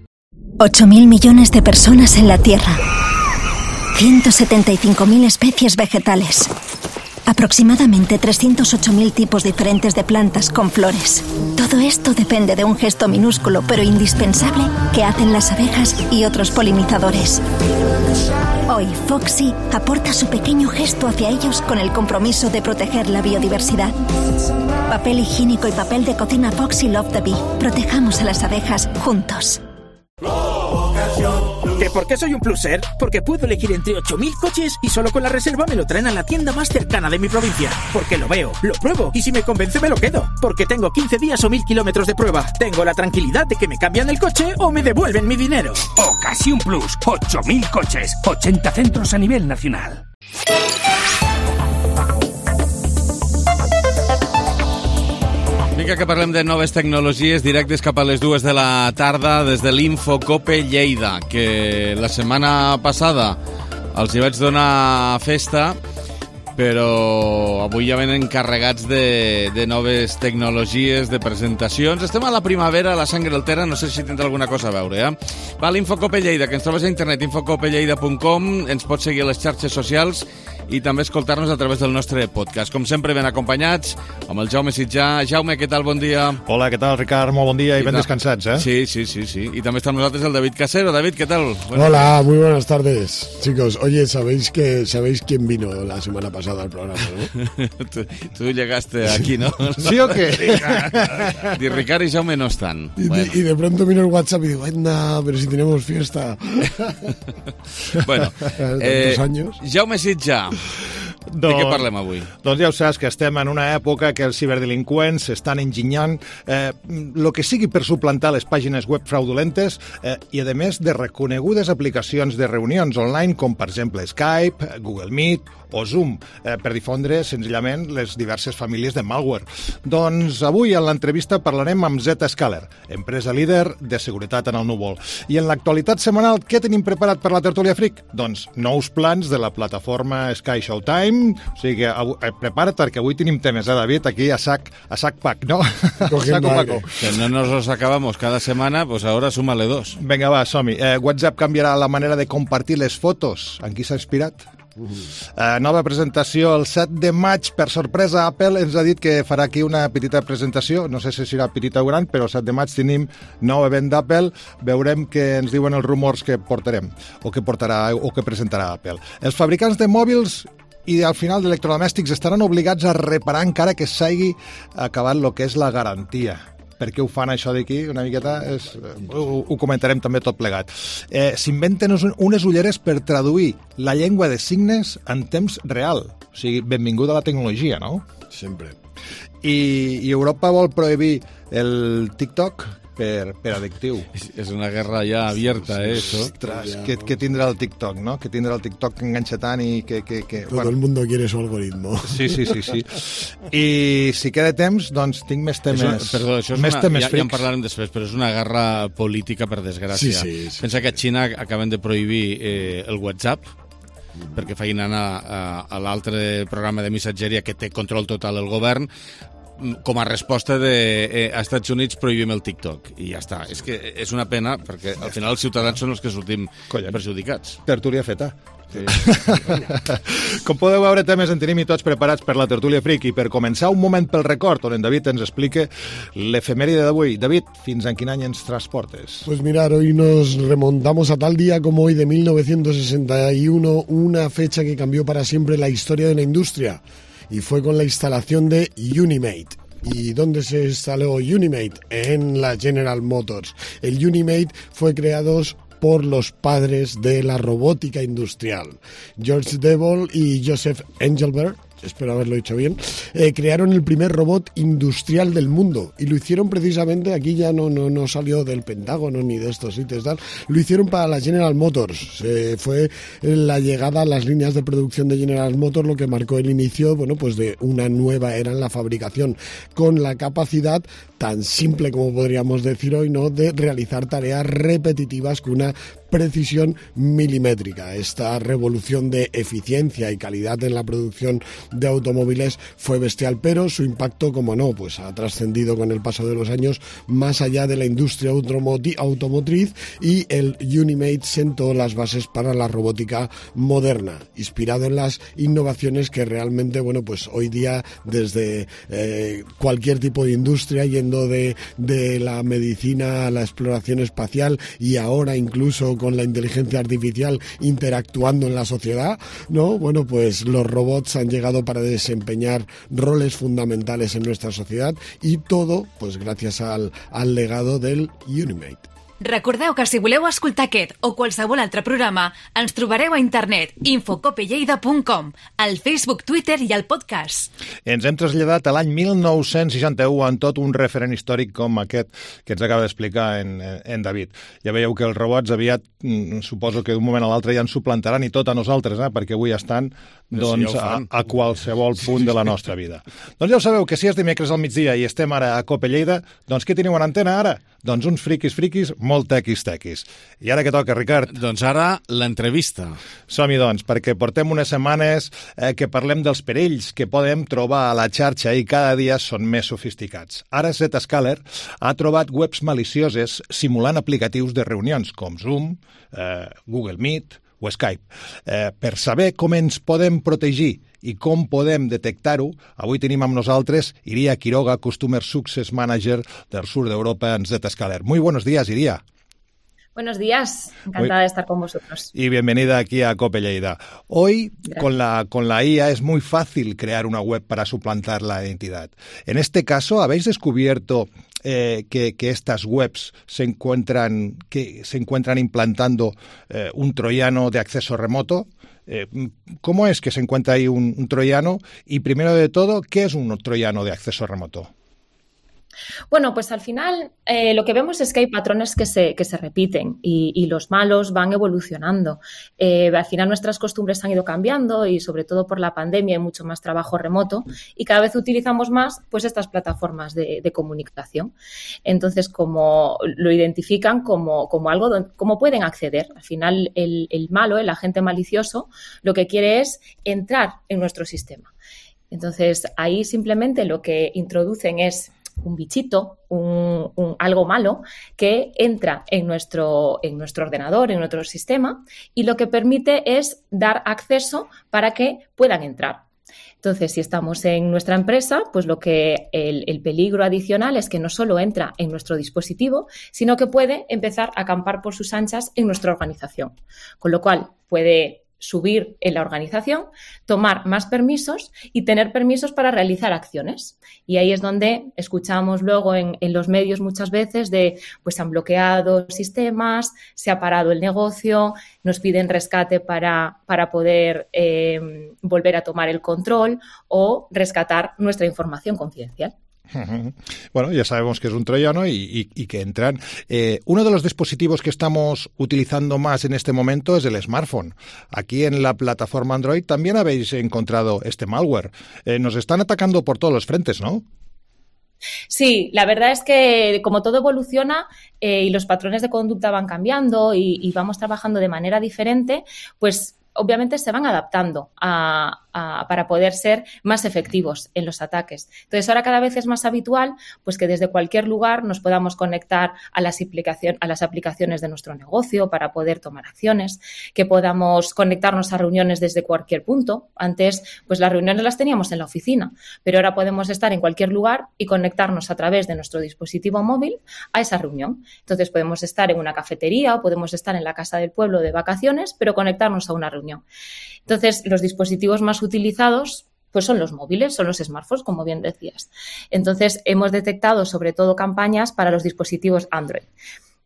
8.000 millones de personas en la Tierra. 175.000 especies vegetales. Aproximadamente 308.000 tipos diferentes de plantas con flores. Todo esto depende de un gesto minúsculo pero indispensable que hacen las abejas y otros polinizadores. Hoy, Foxy aporta su pequeño gesto hacia ellos con el compromiso de proteger la biodiversidad. Papel higiénico y papel de cocina Foxy Love the Bee. Protejamos a las abejas juntos. ¿Que por qué soy un pluser? Porque puedo elegir entre 8.000 coches y solo con la reserva me lo traen a la tienda más cercana de mi provincia. Porque lo veo, lo pruebo y si me convence me lo quedo. Porque tengo 15 días o 1.000 kilómetros de prueba. Tengo la tranquilidad de que me cambian el coche o me devuelven mi dinero. Ocasión Plus, 8.000 coches, 80 centros a nivel nacional. Mica que parlem de noves tecnologies, directes cap a les 2 de la tarda des de l'Infocope Lleida, que la setmana passada els hi vaig donar festa, però avui ja venen encarregats de noves tecnologies, de presentacions. Estem a la primavera, a la Sangre Altera, no sé si tindrà alguna cosa a veure, Va, l'Infocope Lleida, que ens trobes a internet, infocopelleida.com, ens pots seguir a les xarxes socials i també escoltar-nos a través del nostre podcast. Com sempre, ben acompanyats amb el Jaume Sitjà. Jaume, què tal? Bon dia. Hola, què tal, Ricard? Molt bon dia i ben descansats, Sí. Y también está con nosotros el David Casero. David, ¿qué tal? Hola, muy buenas tardes, chicos. Oye, ¿sabéis quién vino la semana pasada al programa, no? Tú llegaste aquí, ¿no? ¿Sí o qué? Y Ricard y Jaume no están. Y de pronto vino el WhatsApp y digo, anda, pero si tenemos fiesta. Bueno, tantos años. Jaume Sitjà, de què parlem avui? Doncs ja ho saps, que estem en una època que els ciberdelinqüents estan enginyant el que sigui per suplantar les pàgines web fraudulentes i, a més, de reconegudes aplicacions de reunions online, com per exemple Skype, Google Meet o Zoom, per difondre senzillament les diverses famílies de malware. Doncs avui en l'entrevista parlarem amb Zscaler, empresa líder de seguretat en el núvol. I en l'actualitat setmanal, què tenim preparat per la tertúlia Freak? Doncs nous plans de la plataforma Sky Showtime, o sigui que prepara't perquè avui tenim temes, David, aquí a sac pack, ¿no? Saco Paco. Que no nos los acabamos cada semana, pues ahora súmale 2. Vinga, va, som-hi. WhatsApp canviarà la manera de compartir les fotos. En qui s'ha inspirat? Nova presentació el 7 de maig. Per sorpresa, Apple ens ha dit que farà aquí una petita presentació, no sé si serà petita o gran, però el 7 de maig tenim nou event d'Apple. Veurem què ens diuen els rumors que portarem o que portarà o que presentarà Apple. Els fabricants de mòbils i al final d'electrodomèstics estaran obligats a reparar encara que s'hagi acabat el que és la garantia. per què ho fan això d'aquí, una miqueta, ho comentarem també tot plegat. S'inventen unes ulleres per traduir la llengua de signes en temps real. O sigui, benvinguda a la tecnologia, no? Sempre. I Europa vol prohibir el TikTok per addictiu. És una guerra ja abierta, això. Ostres, què tindrà el TikTok, no? Que tindrà el TikTok que enganxa tant i que... Todo el mundo quiere su algoritmo. Sí. I si queda temps, doncs tinc més temes. Perdó, això és ja en parlarem després, però és una guerra política, per desgràcia. Sí. Pensa que a Xina acaben de prohibir el WhatsApp, perquè feien anar a l'altre programa de missatgeria que té control total el govern, com a resposta de a Estats Units prohibim el TikTok i ja està. És que és una pena perquè al final els ciutadans són els que sortim perjudicats. Tertúlia feta. Sí. Com podeu veure, temes en tenim i tots preparats per la tertúlia friki. Per començar, un moment pel record on en David ens explica l'efemèride d'avui. David, fins en quin any ens transportes? Pues mirar, hoy nos remontamos a tal día como hoy de 1961, una fecha que cambió para siempre la historia de la industria. Y fue con la instalación de Unimate. ¿Y dónde se instaló Unimate? En la General Motors. El Unimate fue creado por los padres de la robótica industrial, George Devol y Joseph Engelbert. Espero haberlo dicho bien, crearon el primer robot industrial del mundo y lo hicieron precisamente, aquí ya no salió del Pentágono ni de estos sitios, tal, lo hicieron para la General Motors. Fue la llegada a las líneas de producción de General Motors lo que marcó el inicio, bueno, pues de una nueva era en la fabricación, con la capacidad tan simple como podríamos decir hoy, ¿no?, de realizar tareas repetitivas con una precisión milimétrica. Esta revolución de eficiencia y calidad en la producción de automóviles fue bestial, pero su impacto, como no, pues ha trascendido con el paso de los años más allá de la industria automotriz, y el Unimate sentó las bases para la robótica moderna, inspirado en las innovaciones que realmente, bueno, pues hoy día desde cualquier tipo de industria, yendo de la medicina a la exploración espacial y ahora incluso con la inteligencia artificial interactuando en la sociedad, ¿no? Bueno, pues los robots han llegado para desempeñar roles fundamentales en nuestra sociedad y todo, pues gracias al legado del Unimate. Recordeu que si voleu escoltar aquest o qualsevol altre programa, ens trobareu a internet infocopelleida.com, al Facebook, Twitter i al podcast. Ens hem traslladat a l'any 1961 en tot un referent històric com aquest que ens acaba d'explicar en David. Ja veieu que els robots aviat, suposo que d'un moment a l'altre ja ens suplantaran i tot a nosaltres, perquè avui estan doncs, a qualsevol punt de la nostra vida. Doncs ja ho sabeu, que si és dimecres al migdia i estem ara a Cope Lleida, doncs què teniu a l'antena ara? Doncs uns friquis molt tequis. I ara què toca, Ricard? Doncs ara l'entrevista. Som-hi, doncs, perquè portem unes setmanes que parlem dels perills que podem trobar a la xarxa i cada dia són més sofisticats. Ara Zscaler ha trobat webs malicioses simulant aplicatius de reunions com Zoom, Google Meet o Skype. Per saber com ens podem protegir i com podem detectar-ho, avui tenim amb nosaltres Iria Quiroga, Customer Success Manager del sur d'Europa en Zscaler. Muy buenos días, Iria. Buenos días, encantada de estar con vosotros. Y bienvenida aquí a Cope Lleida. Hoy, con la IA, es muy fácil crear una web para suplantar la identidad. En este caso, ¿habéis descubierto que estas webs se encuentran implantando un troyano de acceso remoto? ¿Cómo es que se encuentra ahí un troyano? Y primero de todo, ¿qué es un troyano de acceso remoto? Bueno, pues al final lo que vemos es que hay patrones que se repiten y los malos van evolucionando. Al final nuestras costumbres han ido cambiando y sobre todo por la pandemia hay mucho más trabajo remoto y cada vez utilizamos más pues estas plataformas de comunicación. Entonces, como lo identifican como algo como pueden acceder. Al final el malo, el agente malicioso, lo que quiere es entrar en nuestro sistema. Entonces, ahí simplemente lo que introducen es un bichito, algo malo que entra en nuestro ordenador, en nuestro sistema y lo que permite es dar acceso para que puedan entrar. Entonces, si estamos en nuestra empresa, pues el peligro adicional es que no solo entra en nuestro dispositivo, sino que puede empezar a acampar por sus anchas en nuestra organización. Con lo cual, puede subir en la organización, tomar más permisos y tener permisos para realizar acciones. Y ahí es donde escuchamos luego en los medios muchas veces de, pues se han bloqueado sistemas, se ha parado el negocio, nos piden rescate para poder volver a tomar el control o rescatar nuestra información confidencial. Bueno, ya sabemos que es un troyano y que entran. Uno de los dispositivos que estamos utilizando más en este momento es el smartphone. Aquí en la plataforma Android también habéis encontrado este malware. Nos están atacando por todos los frentes, ¿no? Sí, la verdad es que como todo evoluciona y los patrones de conducta van cambiando y vamos trabajando de manera diferente, pues obviamente se van adaptando para poder ser más efectivos en los ataques. Entonces, ahora cada vez es más habitual pues que desde cualquier lugar nos podamos conectar a las aplicaciones de nuestro negocio para poder tomar acciones, que podamos conectarnos a reuniones desde cualquier punto. Antes, pues las reuniones las teníamos en la oficina, pero ahora podemos estar en cualquier lugar y conectarnos a través de nuestro dispositivo móvil a esa reunión. Entonces, podemos estar en una cafetería o podemos estar en la casa del pueblo de vacaciones, pero conectarnos a una reunión. Entonces, los dispositivos más utilizados pues son los móviles, son los smartphones, como bien decías. Entonces, hemos detectado sobre todo campañas para los dispositivos Android.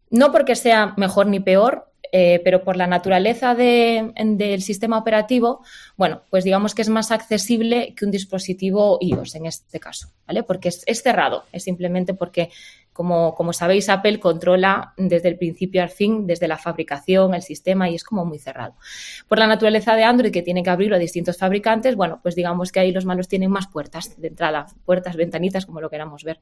No porque sea mejor ni peor, pero por la naturaleza del sistema operativo, bueno, pues digamos que es más accesible que un dispositivo iOS en este caso, ¿vale? Porque es cerrado, es simplemente porque como sabéis, Apple controla desde el principio al fin, desde la fabricación, el sistema, y es como muy cerrado. Por la naturaleza de Android, que tiene que abrirlo a distintos fabricantes, bueno, pues digamos que ahí los malos tienen más puertas de entrada, puertas, ventanitas, como lo queramos ver.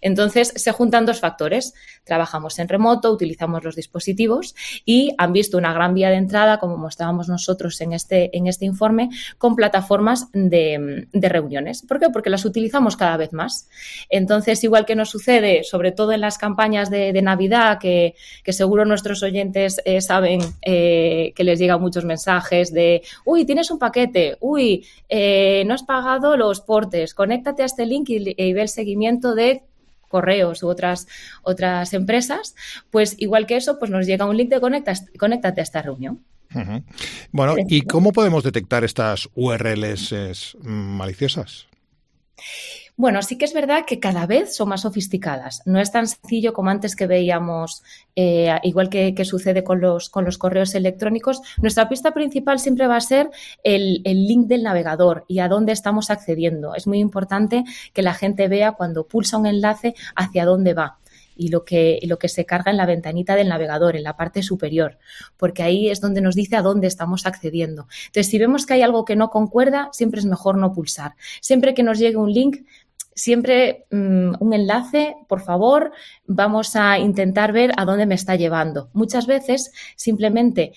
Entonces, se juntan dos factores. Trabajamos en remoto, utilizamos los dispositivos y han visto una gran vía de entrada, como mostrábamos nosotros en este informe, con plataformas de reuniones. ¿Por qué? Porque las utilizamos cada vez más. Entonces, igual que nos sucede, sobre todo en las campañas de Navidad, que seguro nuestros oyentes saben que les llegan muchos mensajes de uy, tienes un paquete, uy, no has pagado los portes, conéctate a este link y ve el seguimiento de correos u otras empresas, pues igual que eso, pues nos llega un link de conéctate a esta reunión. Uh-huh. Bueno, ¿y cómo podemos detectar estas URLs maliciosas? Bueno, sí que es verdad que cada vez son más sofisticadas. No es tan sencillo como antes que veíamos, igual que sucede con los correos electrónicos. Nuestra pista principal siempre va a ser el link del navegador y a dónde estamos accediendo. Es muy importante que la gente vea cuando pulsa un enlace hacia dónde va y lo que se carga en la ventanita del navegador, en la parte superior, porque ahí es donde nos dice a dónde estamos accediendo. Entonces, si vemos que hay algo que no concuerda, siempre es mejor no pulsar. Siempre que nos llegue un link, siempre un enlace, por favor, vamos a intentar ver a dónde me está llevando. Muchas veces simplemente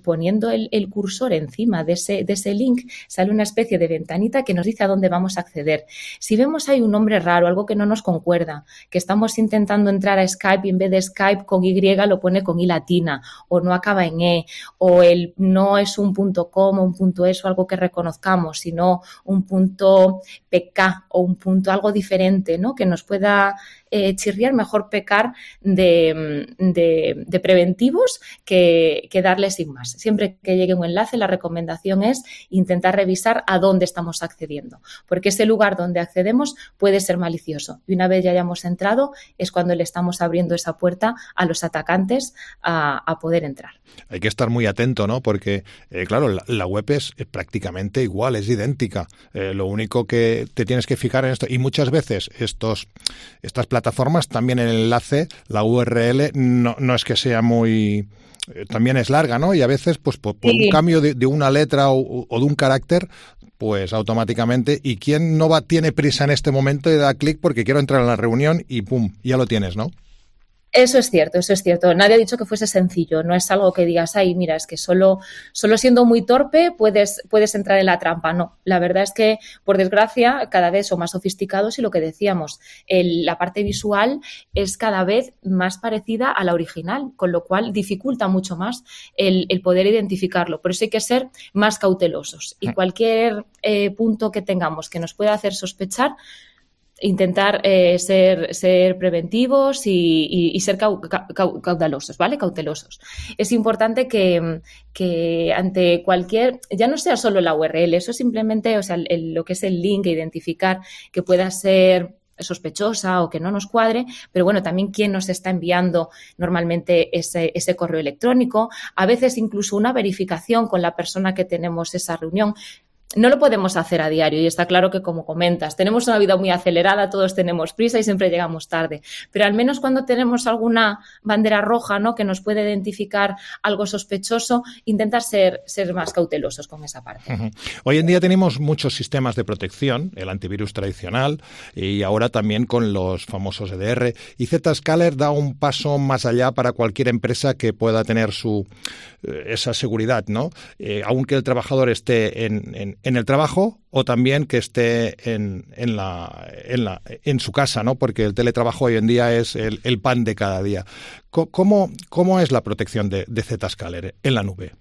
poniendo el cursor encima de ese link sale una especie de ventanita que nos dice a dónde vamos a acceder. Si vemos hay un nombre raro, algo que no nos concuerda, que estamos intentando entrar a Skype y en vez de Skype con Y lo pone con I latina o no acaba en E o no es un .com o un .es o algo que reconozcamos, sino un .pk o un punto algo diferente, ¿no? Que nos pueda chirriar, mejor pecar de preventivos que darle sin más. Siempre que llegue un enlace, la recomendación es intentar revisar a dónde estamos accediendo, porque ese lugar donde accedemos puede ser malicioso. Y una vez ya hayamos entrado, es cuando le estamos abriendo esa puerta a los atacantes a poder entrar. Hay que estar muy atento, ¿no? Porque, claro, la web es prácticamente igual, es idéntica. Lo único que te tienes que fijar en esto, y muchas veces estas plataformas, también el enlace, la URL, no es que sea muy... también es larga, ¿no? Y a veces, pues por un cambio de una letra o de un carácter, pues automáticamente, ¿y quién no tiene prisa en este momento y da clic porque quiero entrar en la reunión y pum, ya lo tienes, ¿no? Eso es cierto, eso es cierto. Nadie ha dicho que fuese sencillo. No es algo que digas, ay, mira, es que solo siendo muy torpe puedes entrar en la trampa. No, la verdad es que, por desgracia, cada vez son más sofisticados y lo que decíamos, la parte visual es cada vez más parecida a la original, con lo cual dificulta mucho más el poder identificarlo. Por eso hay que ser más cautelosos y cualquier punto que tengamos que nos pueda hacer sospechar, intentar ser preventivos y ser cautelosos, ¿vale? Cautelosos. Es importante que ante cualquier, ya no sea solo la URL, eso simplemente, o sea, lo que es el link, identificar que pueda ser sospechosa o que no nos cuadre, pero bueno, también quién nos está enviando normalmente ese correo electrónico, a veces incluso una verificación con la persona que tenemos esa reunión. No lo podemos hacer a diario y está claro que, como comentas, tenemos una vida muy acelerada, todos tenemos prisa y siempre llegamos tarde, pero al menos cuando tenemos alguna bandera roja, ¿no?, que nos puede identificar algo sospechoso, intentar ser más cautelosos con esa parte. Uh-huh. Hoy en día tenemos muchos sistemas de protección, el antivirus tradicional y ahora también con los famosos EDR, y Zscaler da un paso más allá para cualquier empresa que pueda tener esa seguridad, ¿no? Aunque el trabajador esté en el trabajo o también que esté en su casa, ¿no? Porque el teletrabajo hoy en día es el pan de cada día. ¿Cómo es la protección de Zscaler en la nube?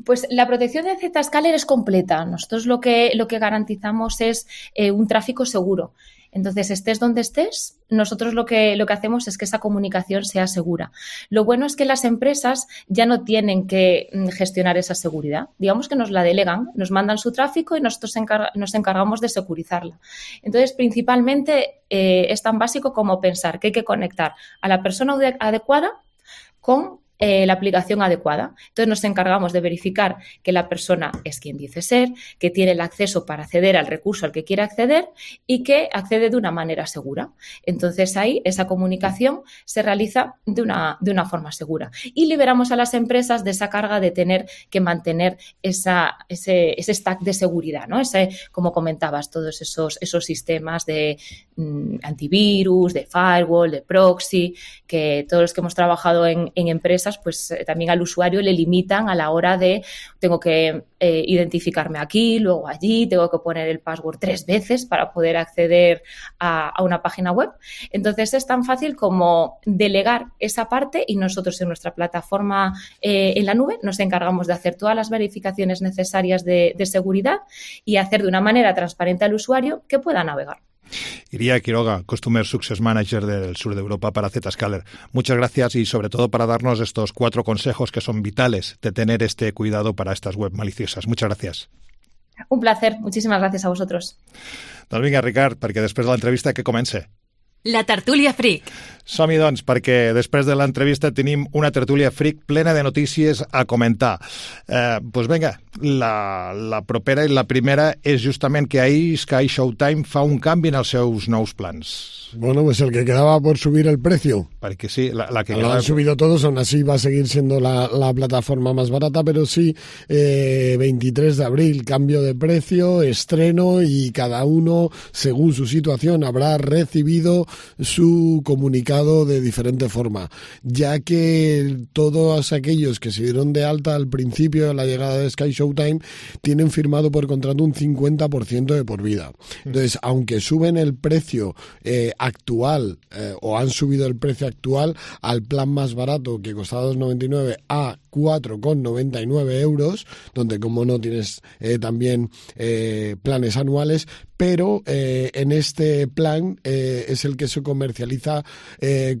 Pues la protección de Zscaler es completa. Nosotros lo que garantizamos es un tráfico seguro. Entonces, estés donde estés, nosotros lo que hacemos es que esa comunicación sea segura. Lo bueno es que las empresas ya no tienen que gestionar esa seguridad. Digamos que nos la delegan, nos mandan su tráfico y nosotros nos encargamos de securizarla. Entonces, principalmente es tan básico como pensar que hay que conectar a la persona adecuada con la aplicación adecuada. Entonces nos encargamos de verificar que la persona es quien dice ser, que tiene el acceso para acceder al recurso al que quiere acceder y que accede de una manera segura. Entonces ahí esa comunicación se realiza de una forma segura y liberamos a las empresas de esa carga de tener que mantener ese stack de seguridad, ¿no? Como comentabas, todos esos sistemas de antivirus, de firewall, de proxy, que todos los que hemos trabajado en empresas, pues también al usuario le limitan a la hora de tengo que identificarme aquí, luego allí, tengo que poner el password 3 veces para poder acceder a una página web. Entonces es tan fácil como delegar esa parte y nosotros en nuestra plataforma en la nube nos encargamos de hacer todas las verificaciones necesarias de seguridad y hacer de una manera transparente al usuario que pueda navegar. Iria Quiroga, Customer Success Manager del sur de Europa para Zscaler. Muchas gracias y sobre todo para darnos estos 4 consejos que son vitales de tener este cuidado para estas web maliciosas. Muchas gracias. Un placer. Muchísimas gracias a vosotros. Doncs vinga, Ricard, perquè després de l'entrevista que comence. La tertúlia Freak. Som-hi, doncs, perquè després de l'entrevista tenim una tertúlia Freak plena de notícies a comentar. Doncs vinga, la propera i la primera és justament que ahir Sky Showtime fa un canvi en els seus nous plans. Bueno, pues el que quedaba por subir el precio. Porque sí, la que lo han subido todos, aún así va a seguir siendo la plataforma más barata, pero sí, 23 de abril, cambio de precio, estreno y cada uno, según su situación, habrá recibido su comunicado de diferente forma, ya que todos aquellos que se dieron de alta al principio de la llegada de Sky Showtime tienen firmado por contrato un 50% de por vida. Entonces, aunque suben el precio actual o han subido el precio actual al plan más barato que costaba 2,99 a 4,99 euros, donde como no tienes también planes anuales, pero en este plan es el que se comercializa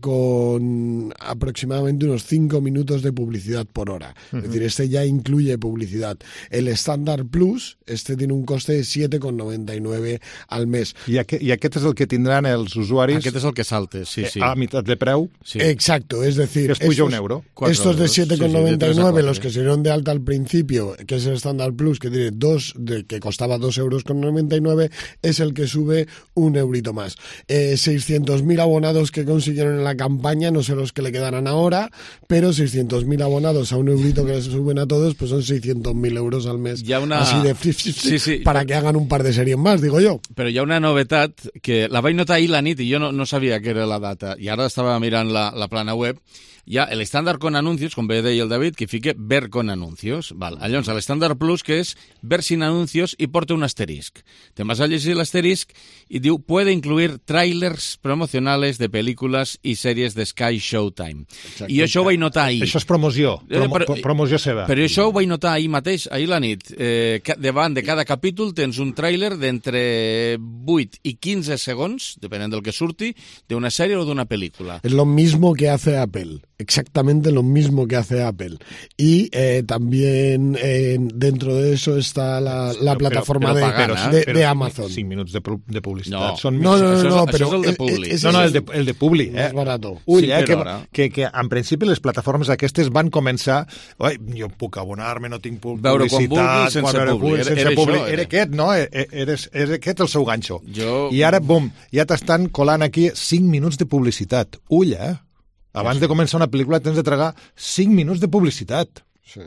con aproximadamente unos 5 minutos de publicidad por hora. Uh-huh. Es decir, este ya incluye publicidad. El Standard Plus, este tiene un coste de 7,99 al mes. I aquest és el que tindran els usuaris... Aquest és el que saltes, sí, sí. A mitad de preu. Sí. Exacto, es decir... Que es puja un euro. Estos de 7,99, los que se dieron de alta al principio, que es el Standard Plus, que tiene que costaba 2,99 euros, es el que sube un eurito más. 600.000 abonados que consiguieron en la campaña, no sé los que le quedarán ahora, pero 600.000 abonados a un eurito que les suben a todos, pues son 600.000 euros al mes. Así de sí, para que hagan un par de series más, digo yo. Però hi ha una novetat que la vaig notar ahir la nit i jo no sabia que era la data. I ara estava mirant la plana web. Hi ha el estàndard con anuncios, com bé deia el David, fet que fique ver con anuncios. Val. Llavors, a l'Standard Plus, que és ver sin anuncios, i porta un asterisc. Te'n vas a llegir l'asterisc i diu puede incluir trailers promocionales de pel·lícules i sèries de Sky Showtime. Exacte. I això ho vaig notar ahir. Això és promoció, promoció seva. Però això ho vaig notar ahir mateix, ahir la nit. Davant de cada capítol tens un tràiler d'entre 8 i 15 segons, depenent del que surti, d'una sèrie o d'una pel·lícula. Es lo mismo que hace Apple. Exactamente lo mismo que hace Apple. Y también dentro de eso está la plataforma de Amazon. 5 minuts de publicitat. No, però això és el de Publi. El de Publi. Més barato. Ull, que en principi les plataformes aquestes van començar... Jo puc abonar-me, no tinc publicitat... Sense Publi. Era aquest, no? Era aquest el seu ganxo. I ara, bum, ja t'estan colant aquí 5 minuts de publicitat. Ull, Abans de començar una pel·lícula tens de tragar 5 minuts de publicitat. Sí.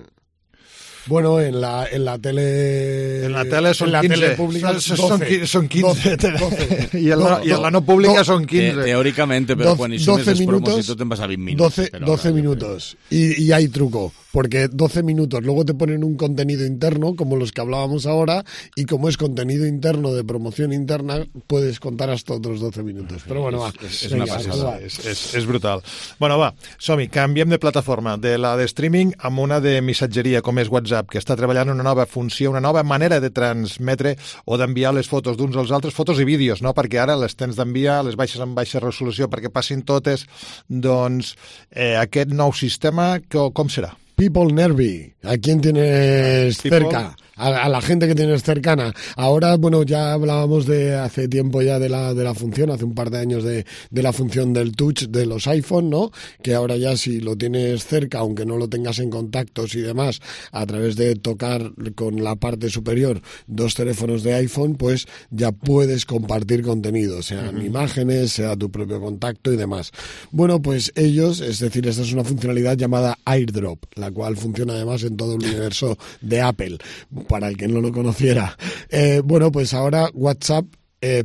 Bueno, en la tele... En la tele són 15. Tele pública són 15. 12. I en la no pública són 15. Teóricamente, pero quan hi sumes les promos i tot te'n vas a 20 minuts. 12 minutos. Y hay truco. Porque 12 minutos, luego te ponen un contenido interno, como los que hablábamos ahora, y como es contenido interno de promoción interna, puedes contar hasta otros 12 minutos. Però bueno, va. És una passada, és brutal. Bueno, va, som-hi, canviem de plataforma, de la de streaming amb una de missatgeria, com és WhatsApp, que està treballant una nova funció, una nova manera de transmetre o d'enviar les fotos d'uns als altres, fotos i vídeos, no? Perquè ara les tens d'enviar, les baixes en baixa resolució perquè passin totes, doncs aquest nou sistema, com serà? People Nervy. ¿A quién tienes cerca? A la gente que tienes cercana. Ahora, bueno, ya hablábamos de hace tiempo ya de la función, hace un par de años de la función del touch de los iPhone, ¿no? Que ahora ya si lo tienes cerca, aunque no lo tengas en contactos y demás, a través de tocar con la parte superior 2 teléfonos de iPhone, pues ya puedes compartir contenido, sean imágenes, sea tu propio contacto y demás. Bueno, pues ellos, es decir, esta es una funcionalidad llamada AirDrop, la cual funciona además en todo el universo de Apple, para el que no lo conociera. Bueno, pues ahora WhatsApp,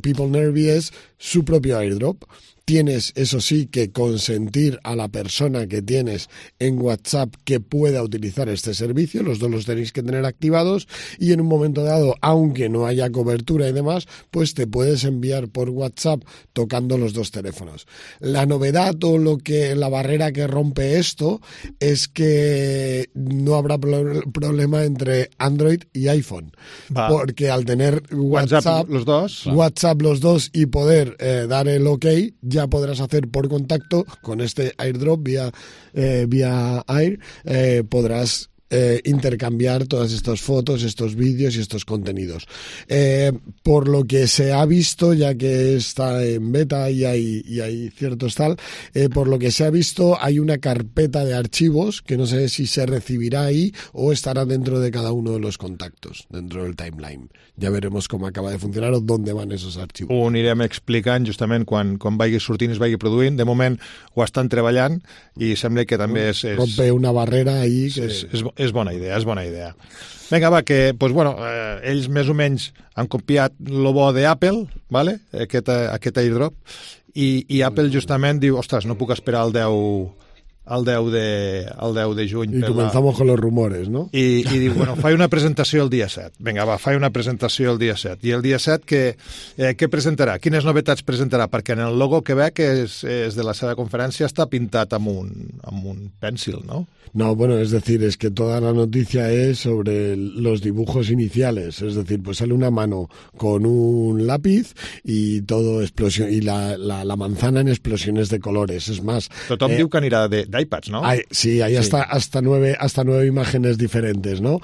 People Nervy es su propio AirDrop. Tienes, eso sí, que consentir a la persona que tienes en WhatsApp que pueda utilizar este servicio. Los dos los tenéis que tener activados y en un momento dado, aunque no haya cobertura y demás, pues te puedes enviar por WhatsApp tocando los 2 teléfonos. La novedad o la barrera que rompe esto es que no habrá problema entre Android y iPhone. Porque al tener WhatsApp los dos y poder dar el OK, ya podrás hacer por contacto con este AirDrop vía Air, podrás intercambiar todas estas fotos, estos vídeos y estos contenidos. Por lo que se ha visto, ya que está en beta y hay ciertos por lo que se ha visto hay una carpeta de archivos que no sé si se recibirá ahí o estará dentro de cada uno de los contactos, dentro del timeline. Ja veremos com acaba de funcionar o d'on van esos arxivos. Ho anirem explicant justament quan vagi sortint i es vagi produint. De moment ho estan treballant i sembla que també és... Rompe una barrera ahí. Que... És bona idea, és bona idea. Vinga, va, que pues, bueno, ells més o menys han copiat lo bo d'Apple, ¿vale? aquest AirDrop, i Apple justament diu, ostres, no puc esperar el 10 de juny. Y comenzamos con los rumores, ¿no? I diu, bueno, faig una presentació el dia 7. Vinga, va, faig una presentació el dia 7. I el dia 7 què presentarà? Quines novetats presentarà? Perquè en el logo que veig és de la seva conferència està pintat amb un pencil, ¿no? No, bueno, es decir, es que toda la noticia es sobre los dibujos iniciales, es decir, pues sale una mano con un lápiz y todo explosión y la manzana en explosiones de colores, es más. Tothom diu que anirà d'iPads, ¿no? Sí, hay hasta 9 imágenes diferentes, ¿no?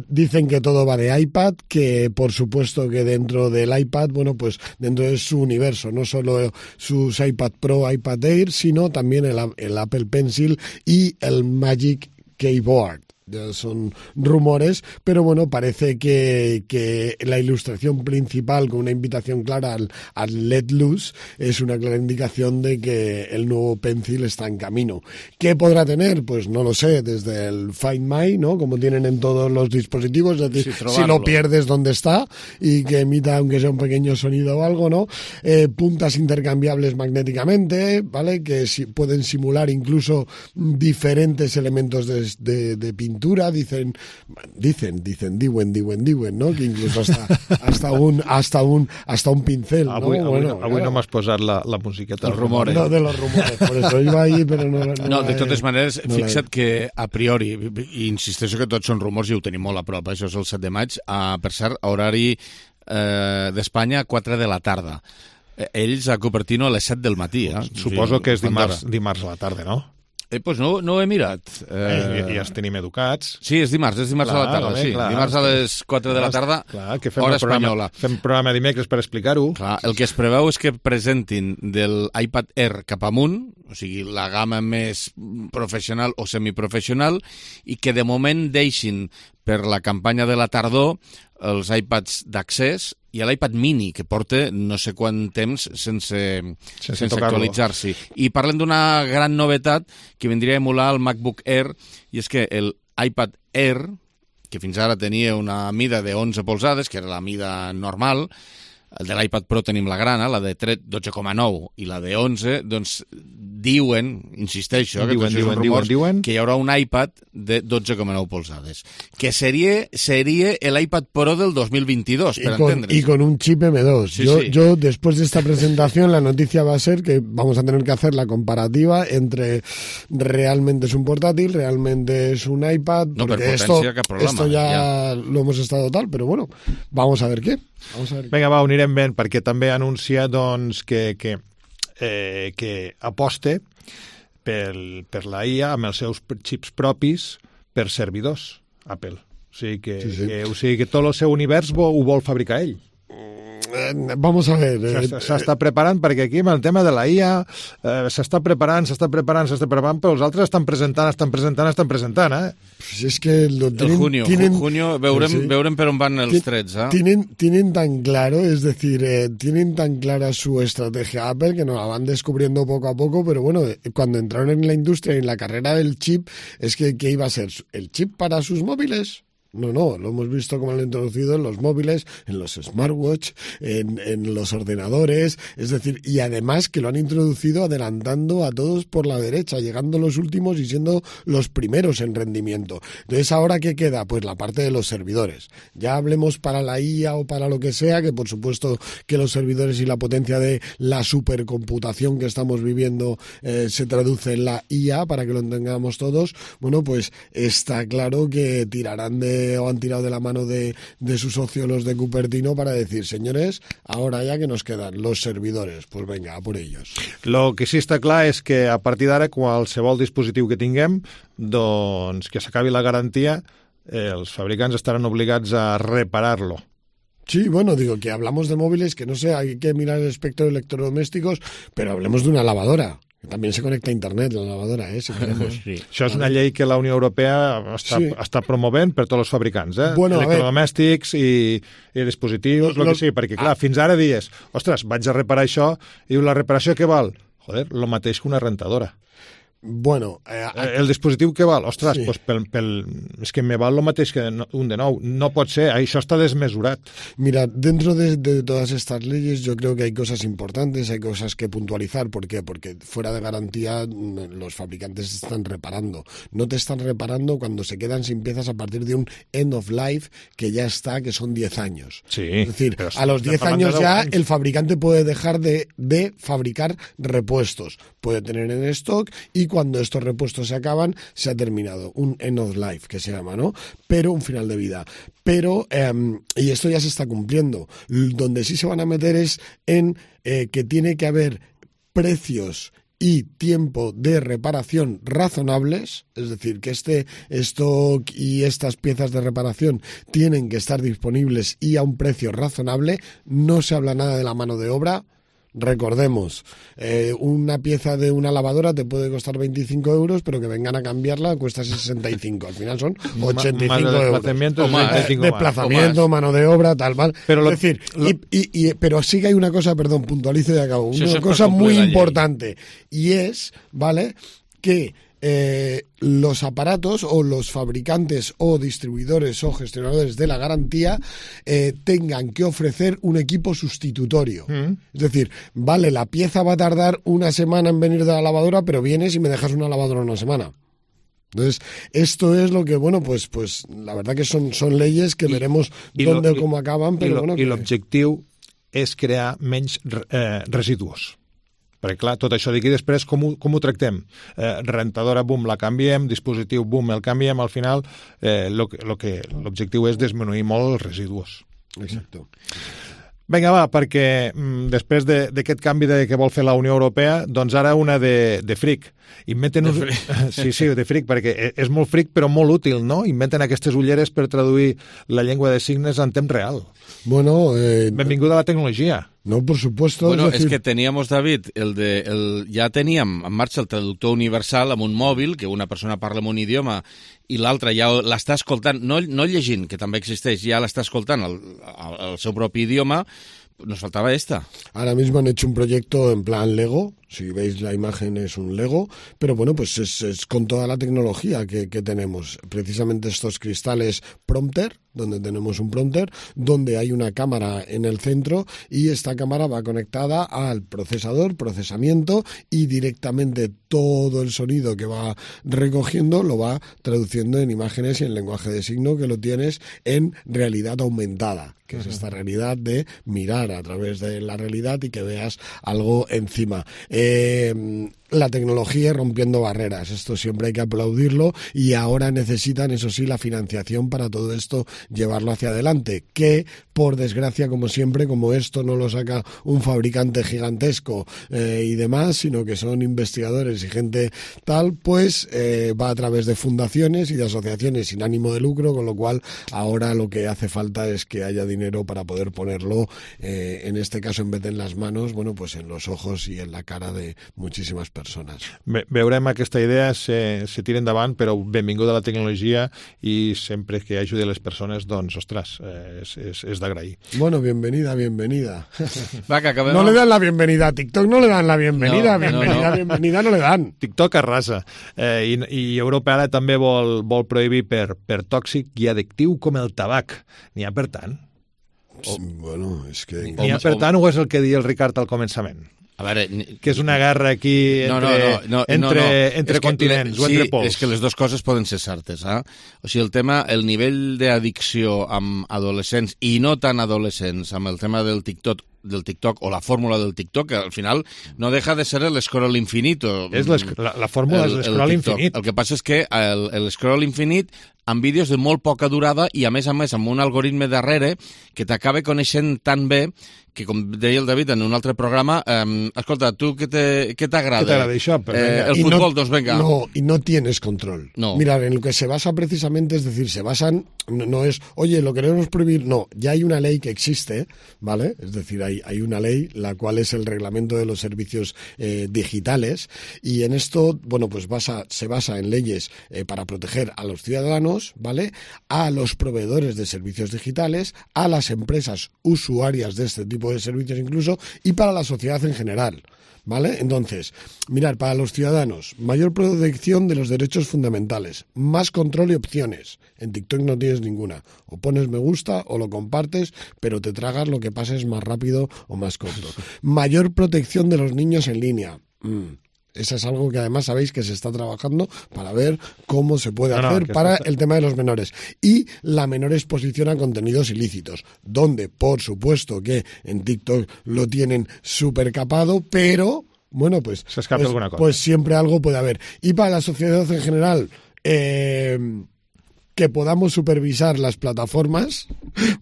Dicen que todo va de iPad, que por supuesto que dentro del iPad, bueno, pues dentro de su universo, no solo sus iPad Pro, iPad Air, sino también el Apple Pencil y el Magic Keyboard, ya son rumores, pero bueno, parece que la ilustración principal con una invitación clara al Let Loose es una clara indicación de que el nuevo Pencil está en camino. ¿Qué podrá tener? Pues no lo sé, desde el Find My, ¿no? Como tienen en todos los dispositivos, es decir, si lo pierdes, ¿dónde está? Y que emita, aunque sea un pequeño sonido o algo, ¿no? Puntas intercambiables magnéticamente, ¿vale? Que pueden simular incluso diferentes elementos de pintura, dicen, diuen, ¿no? Que incluso hasta un pincel, ¿no? Avui no m'has posat la musiqueta dels rumores. No, de los rumores, por eso iba ahí, pero no, de totes maneres, fixa't que a priori, i insisteixo que tots són rumors i ho tenim molt a prop, això és el 7 de maig, per cert, horari d'Espanya, 4 de la tarda. Ells a Cupertino a les 7 del matí. Suposo que és dimarts a la tarda, no? Pues no ho he mirat. Ja els tenim educats. Sí, és dimarts a la tarda, sí. Dimarts a les 4 de la tarda, hora espanyola. Fem programa dimecres per explicar-ho. El que es preveu és que presentin del iPad Air cap amunt, o sigui, la gamma més professional o semiprofessional, i que de moment deixin per la campanya de la tardor els iPads d'accés i l'iPad mini, que porta no sé quant temps sense actualitzar-s'hi. I parlen d'una gran novetat que vindria a emular el MacBook Air, i és que l'iPad Air, que fins ara tenia una mida de 11 polzades, que era la mida normal, el de l'iPad Pro tenim la grana, la de 12,9 i la de 11, doncs diuen, insisteixo, diuen que hi haurà un iPad de 12,9 polzades, que sería l'iPad Pro del 2022, per entendre's. Y con un chip M2. Yo, después de esta presentación, la noticia va a ser que vamos a tener que hacer la comparativa entre realmente es un portátil, realmente es un iPad, porque esto ya lo hemos estado tal, pero bueno, vamos a ver qué. Vinga, va, ho anirem ben, perquè també anuncia doncs, que aposta per la IA amb els seus xips propis per servidors, Apple. O sigui que tot el seu univers ho vol fabricar ell. Vamos a ver. S'està preparant, perquè aquí amb el tema de la IA s'està preparant, però els altres estan presentant, eh? Pues es que junio veurem per on van els trets, eh? Tienen tan claro, es decir, tienen tan clara su estrategia Apple que nos la van descubriendo poco a poco, pero bueno, cuando entraron en la industria y en la carrera del chip, es que ¿qué iba a ser? ¿El chip para sus móviles? No, lo hemos visto como lo han introducido en los móviles, en los smartwatch, en los ordenadores, es decir, y además que lo han introducido adelantando a todos por la derecha, llegando los últimos y siendo los primeros en rendimiento. Entonces, ¿ahora qué queda? Pues la parte de los servidores. Ya hablemos para la IA o para lo que sea, que por supuesto que los servidores y la potencia de la supercomputación que estamos viviendo se traduce en la IA, para que lo entendamos todos. Bueno, pues está claro que tirarán o han tirado de la mano de sus socios los de Cupertino para decir, señores, ahora ya que nos quedan los servidores, pues venga, a por ellos. Lo que sí està clar és que a partir d'ara qualsevol dispositiu que tinguem, doncs que s'acabi la garantia, els fabricants estaran obligats a reparar-lo. Sí, bueno, digo que hablamos de móviles, que no sé, hay que mirar el espectro de electrodomésticos, pero hablemos de una lavadora. També se connecta a internet, la lavadora, si queremos. Sí. Això és una llei que la Unió Europea està promovent per tots els fabricants, Bueno, electrodomèstics i dispositius, el que sigui, perquè clar, fins ara dies, ostres, vaig a reparar això, i la reparació què val? Joder, el mateix que una rentadora. Bueno, el dispositiu que val? Ostres, sí. Pues és que me val el mateix que un de nou. No pot ser, això està desmesurat. Mira, dentro de todas estas leyes yo creo que hay cosas importantes, hay cosas que puntualizar. ¿Por qué? Porque fuera de garantía los fabricantes están reparando. No te están reparando cuando se quedan sin piezas a partir de un end of life que ya está, que son 10 años. Sí, es decir, a los 10 años ya el fabricante puede dejar de fabricar repuestos. Puede tener en stock y cuando estos repuestos se acaban, se ha terminado. Un end of life, que se llama, ¿no? Pero un final de vida. Pero, y esto ya se está cumpliendo. Donde sí se van a meter es en que tiene que haber precios y tiempo de reparación razonables, es decir, que este stock y estas piezas de reparación tienen que estar disponibles y a un precio razonable. No se habla nada de la mano de obra. recordemos, una pieza de una lavadora te puede costar 25 euros, pero que vengan a cambiarla cuesta 65. Al final son 85 euros. Desplazamiento, mano de obra, tal, mal. Pero es decir, pero sí que hay una cosa, perdón, puntualizo y acabo. Una cosa muy importante, y es, ¿vale?, que los aparatos o los fabricantes o distribuidores o gestionadores de la garantía tengan que ofrecer un equipo sustitutorio. Es decir, vale, la pieza va a tardar una semana en venir de la lavadora, pero vienes y me dejas una lavadora una semana. Entonces, esto es lo que, bueno, pues la verdad que son leyes que veremos dónde o cómo acaban, però bueno... I l'objectiu és crear menys residus. Perquè, clar, tot això d'aquí després com ho tractem? Rentadora, bum, la canviem, dispositiu, bum, el canviem, al final l'objectiu és disminuir molt els residus. Exacte. Vinga, va, perquè després d'aquest canvi que vol fer la Unió Europea, doncs ara una de fric. Sí, de fric, perquè és molt fric però molt útil, no? Inventen aquestes ulleres per traduir la llengua de signes en temps real. Bueno, benvinguda a la tecnologia. No, por supuesto. Bueno, es que teníamos, David, ja teníem en marxa el traductor universal amb un mòbil, que una persona parla en un idioma i l'altra ja l'està escoltant, no llegint, que també existeix, ja l'està escoltant el seu propi idioma. Nos faltaba esta. Ahora mismo han hecho un proyecto en plan Lego. Si veis la imagen es un Lego, pero bueno, pues es con toda la tecnología que tenemos. Precisamente estos cristales prompter, donde tenemos un prompter, donde hay una cámara en el centro y esta cámara va conectada al procesamiento y directamente todo el sonido que va recogiendo lo va traduciendo en imágenes y en lenguaje de signo, que lo tienes en realidad aumentada, que es esta realidad de mirar a través de la realidad y que veas algo encima. La tecnología rompiendo barreras, esto siempre hay que aplaudirlo, y ahora necesitan, eso sí, la financiación para todo esto llevarlo hacia adelante, que por desgracia, como siempre, como esto no lo saca un fabricante gigantesco y demás, sino que son investigadores y gente tal, pues va a través de fundaciones y de asociaciones sin ánimo de lucro, con lo cual ahora lo que hace falta es que haya dinero para poder ponerlo, en este caso en vez de en las manos, bueno, pues en los ojos y en la cara de muchísimes persones. Veurem aquesta idea se tira endavant, però benvinguda a la tecnologia, i sempre que ajudi a les persones, doncs, ostres, és d'agrair. Bueno, bienvenida. Va, que acabem. No le dan la bienvenida a TikTok, no le dan la bienvenida, bienvenida no le dan. TikTok arrasa. I Europa ara també vol prohibir per tòxic i addictiu com el tabac. N'hi ha per tant? Bueno, és que... N'hi ha per tant o és el que deia el Ricard al començament? A veure, que és una guerra aquí entre continents o entre pols. Sí, és que les dues coses poden ser certes. O sigui, el nivell d'addicció amb adolescents, i no tan adolescents, amb el tema del TikTok o la fórmula del TikTok, que al final no deja de ser el scroll infinito. La fórmula és l'escroll infinit. El que passa és que el scroll infinit amb vídeos de molt poca durada i, a més, amb un algoritme darrere que t'acaba coneixent tan bé que, com deia el David en un altre programa, escolta, tu què t'agrada? ¿Qué te agrada això? El fútbol, doncs venga. No, y no tienes control. No. Mira, en lo que se basa precisamente, es decir, se basan, no es, oye, lo queremos prohibir, no, ya hay una ley que existe, ¿vale? Es decir, hay una ley, la cual es el reglamento de los servicios digitales, y en esto, bueno, pues se basa en leyes para proteger a los ciudadanos, ¿vale? A los proveedores de servicios digitales, a las empresas usuarias de este tipo de servicios incluso, y para la sociedad en general, ¿vale? Entonces, mirar, para los ciudadanos, mayor protección de los derechos fundamentales, más control y opciones. En TikTok no tienes ninguna. O pones me gusta o lo compartes, pero te tragas lo que pases más rápido o más corto. Mayor protección de los niños en línea. Eso es algo que además sabéis que se está trabajando para ver cómo se puede hacer para el tema de los menores. Y la menor exposición a contenidos ilícitos, donde por supuesto que en TikTok lo tienen súper capado, pero bueno, pues, se escapa alguna cosa. Pues siempre algo puede haber. Y para la sociedad en general, que podamos supervisar las plataformas,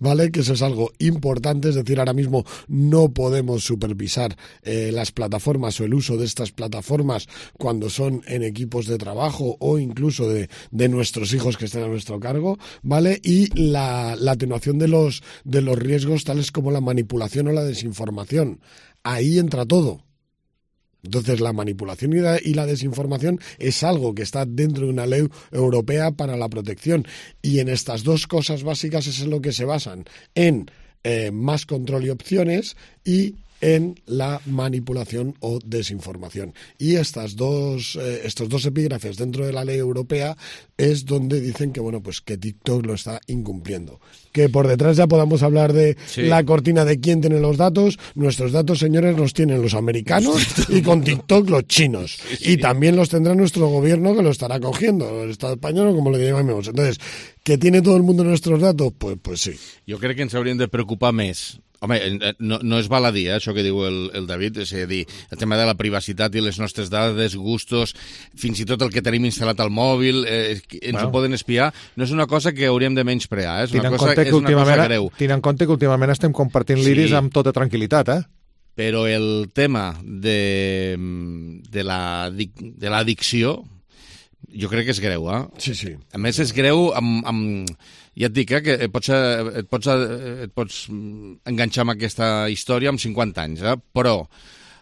¿vale? Que eso es algo importante, es decir, ahora mismo no podemos supervisar las plataformas o el uso de estas plataformas cuando son en equipos de trabajo o incluso de nuestros hijos que estén a nuestro cargo, ¿vale? Y la atenuación de los riesgos tales como la manipulación o la desinformación. Ahí entra todo. Entonces, la manipulación y la desinformación es algo que está dentro de una ley europea para la protección. Y en estas dos cosas básicas es en lo que se basan, en más control y opciones y en la manipulación o desinformación. Y estos dos epígrafes dentro de la ley europea es donde dicen que, bueno, pues que TikTok lo está incumpliendo. Que por detrás ya podamos hablar de la cortina de quién tiene los datos. Nuestros datos, señores, los tienen los americanos y con TikTok los chinos. Y también los tendrá nuestro gobierno, que lo estará cogiendo, el Estado español o como le llamemos. Entonces, ¿que tiene todo el mundo nuestros datos? Pues sí. Jo crec que ens hauríem de preocupar més. Home, no és baladí, això que diu el David, és a dir, el tema de la privacitat i les nostres dades, gustos, fins i tot el que tenim instal·lat al mòbil, ens ho poden espiar, no és una cosa que hauríem de menysprear, és una cosa greu. Tenint en compte que últimament estem compartint l'iris amb tota tranquil·litat, Però el tema de l'addicció, jo crec que és greu, Sí. A més, és greu amb ja et dic, que et pots enganxar amb aquesta història amb 50 anys, però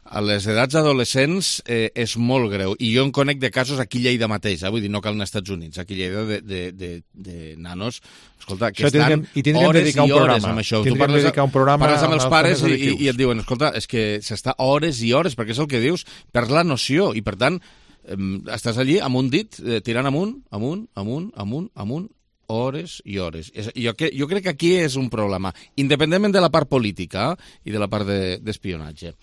a les edats adolescents és molt greu. I jo en conec de casos aquí a Lleida mateix, vull dir, no cal anar als Estats Units, aquí a Lleida de nanos, escolta, que estan hores i hores amb això. Tu parles amb els pares i et diuen, escolta, és que s'està hores i hores, perquè és el que dius, perds la noció, i per tant, estàs allí amb un dit, tirant amunt, hores i hores. Jo crec que aquí és un problema, independentment de la part política i de la part d'espionatge.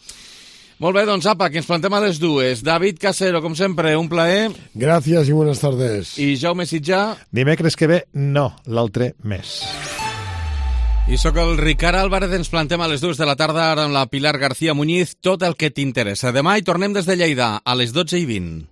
Molt bé, doncs apa, que ens plantem a les dues. David Casero, com sempre, un plaer. Gràcies i buenas tardes. I Jaume Sitjà. Dimecres que ve, no, l'altre mes. I sóc el Ricard Álvarez, ens plantem a les 2 de la tarda ara amb la Pilar García Muñiz, tot el que t'interessa. Demà hi tornem des de Lleida, a les 12:20.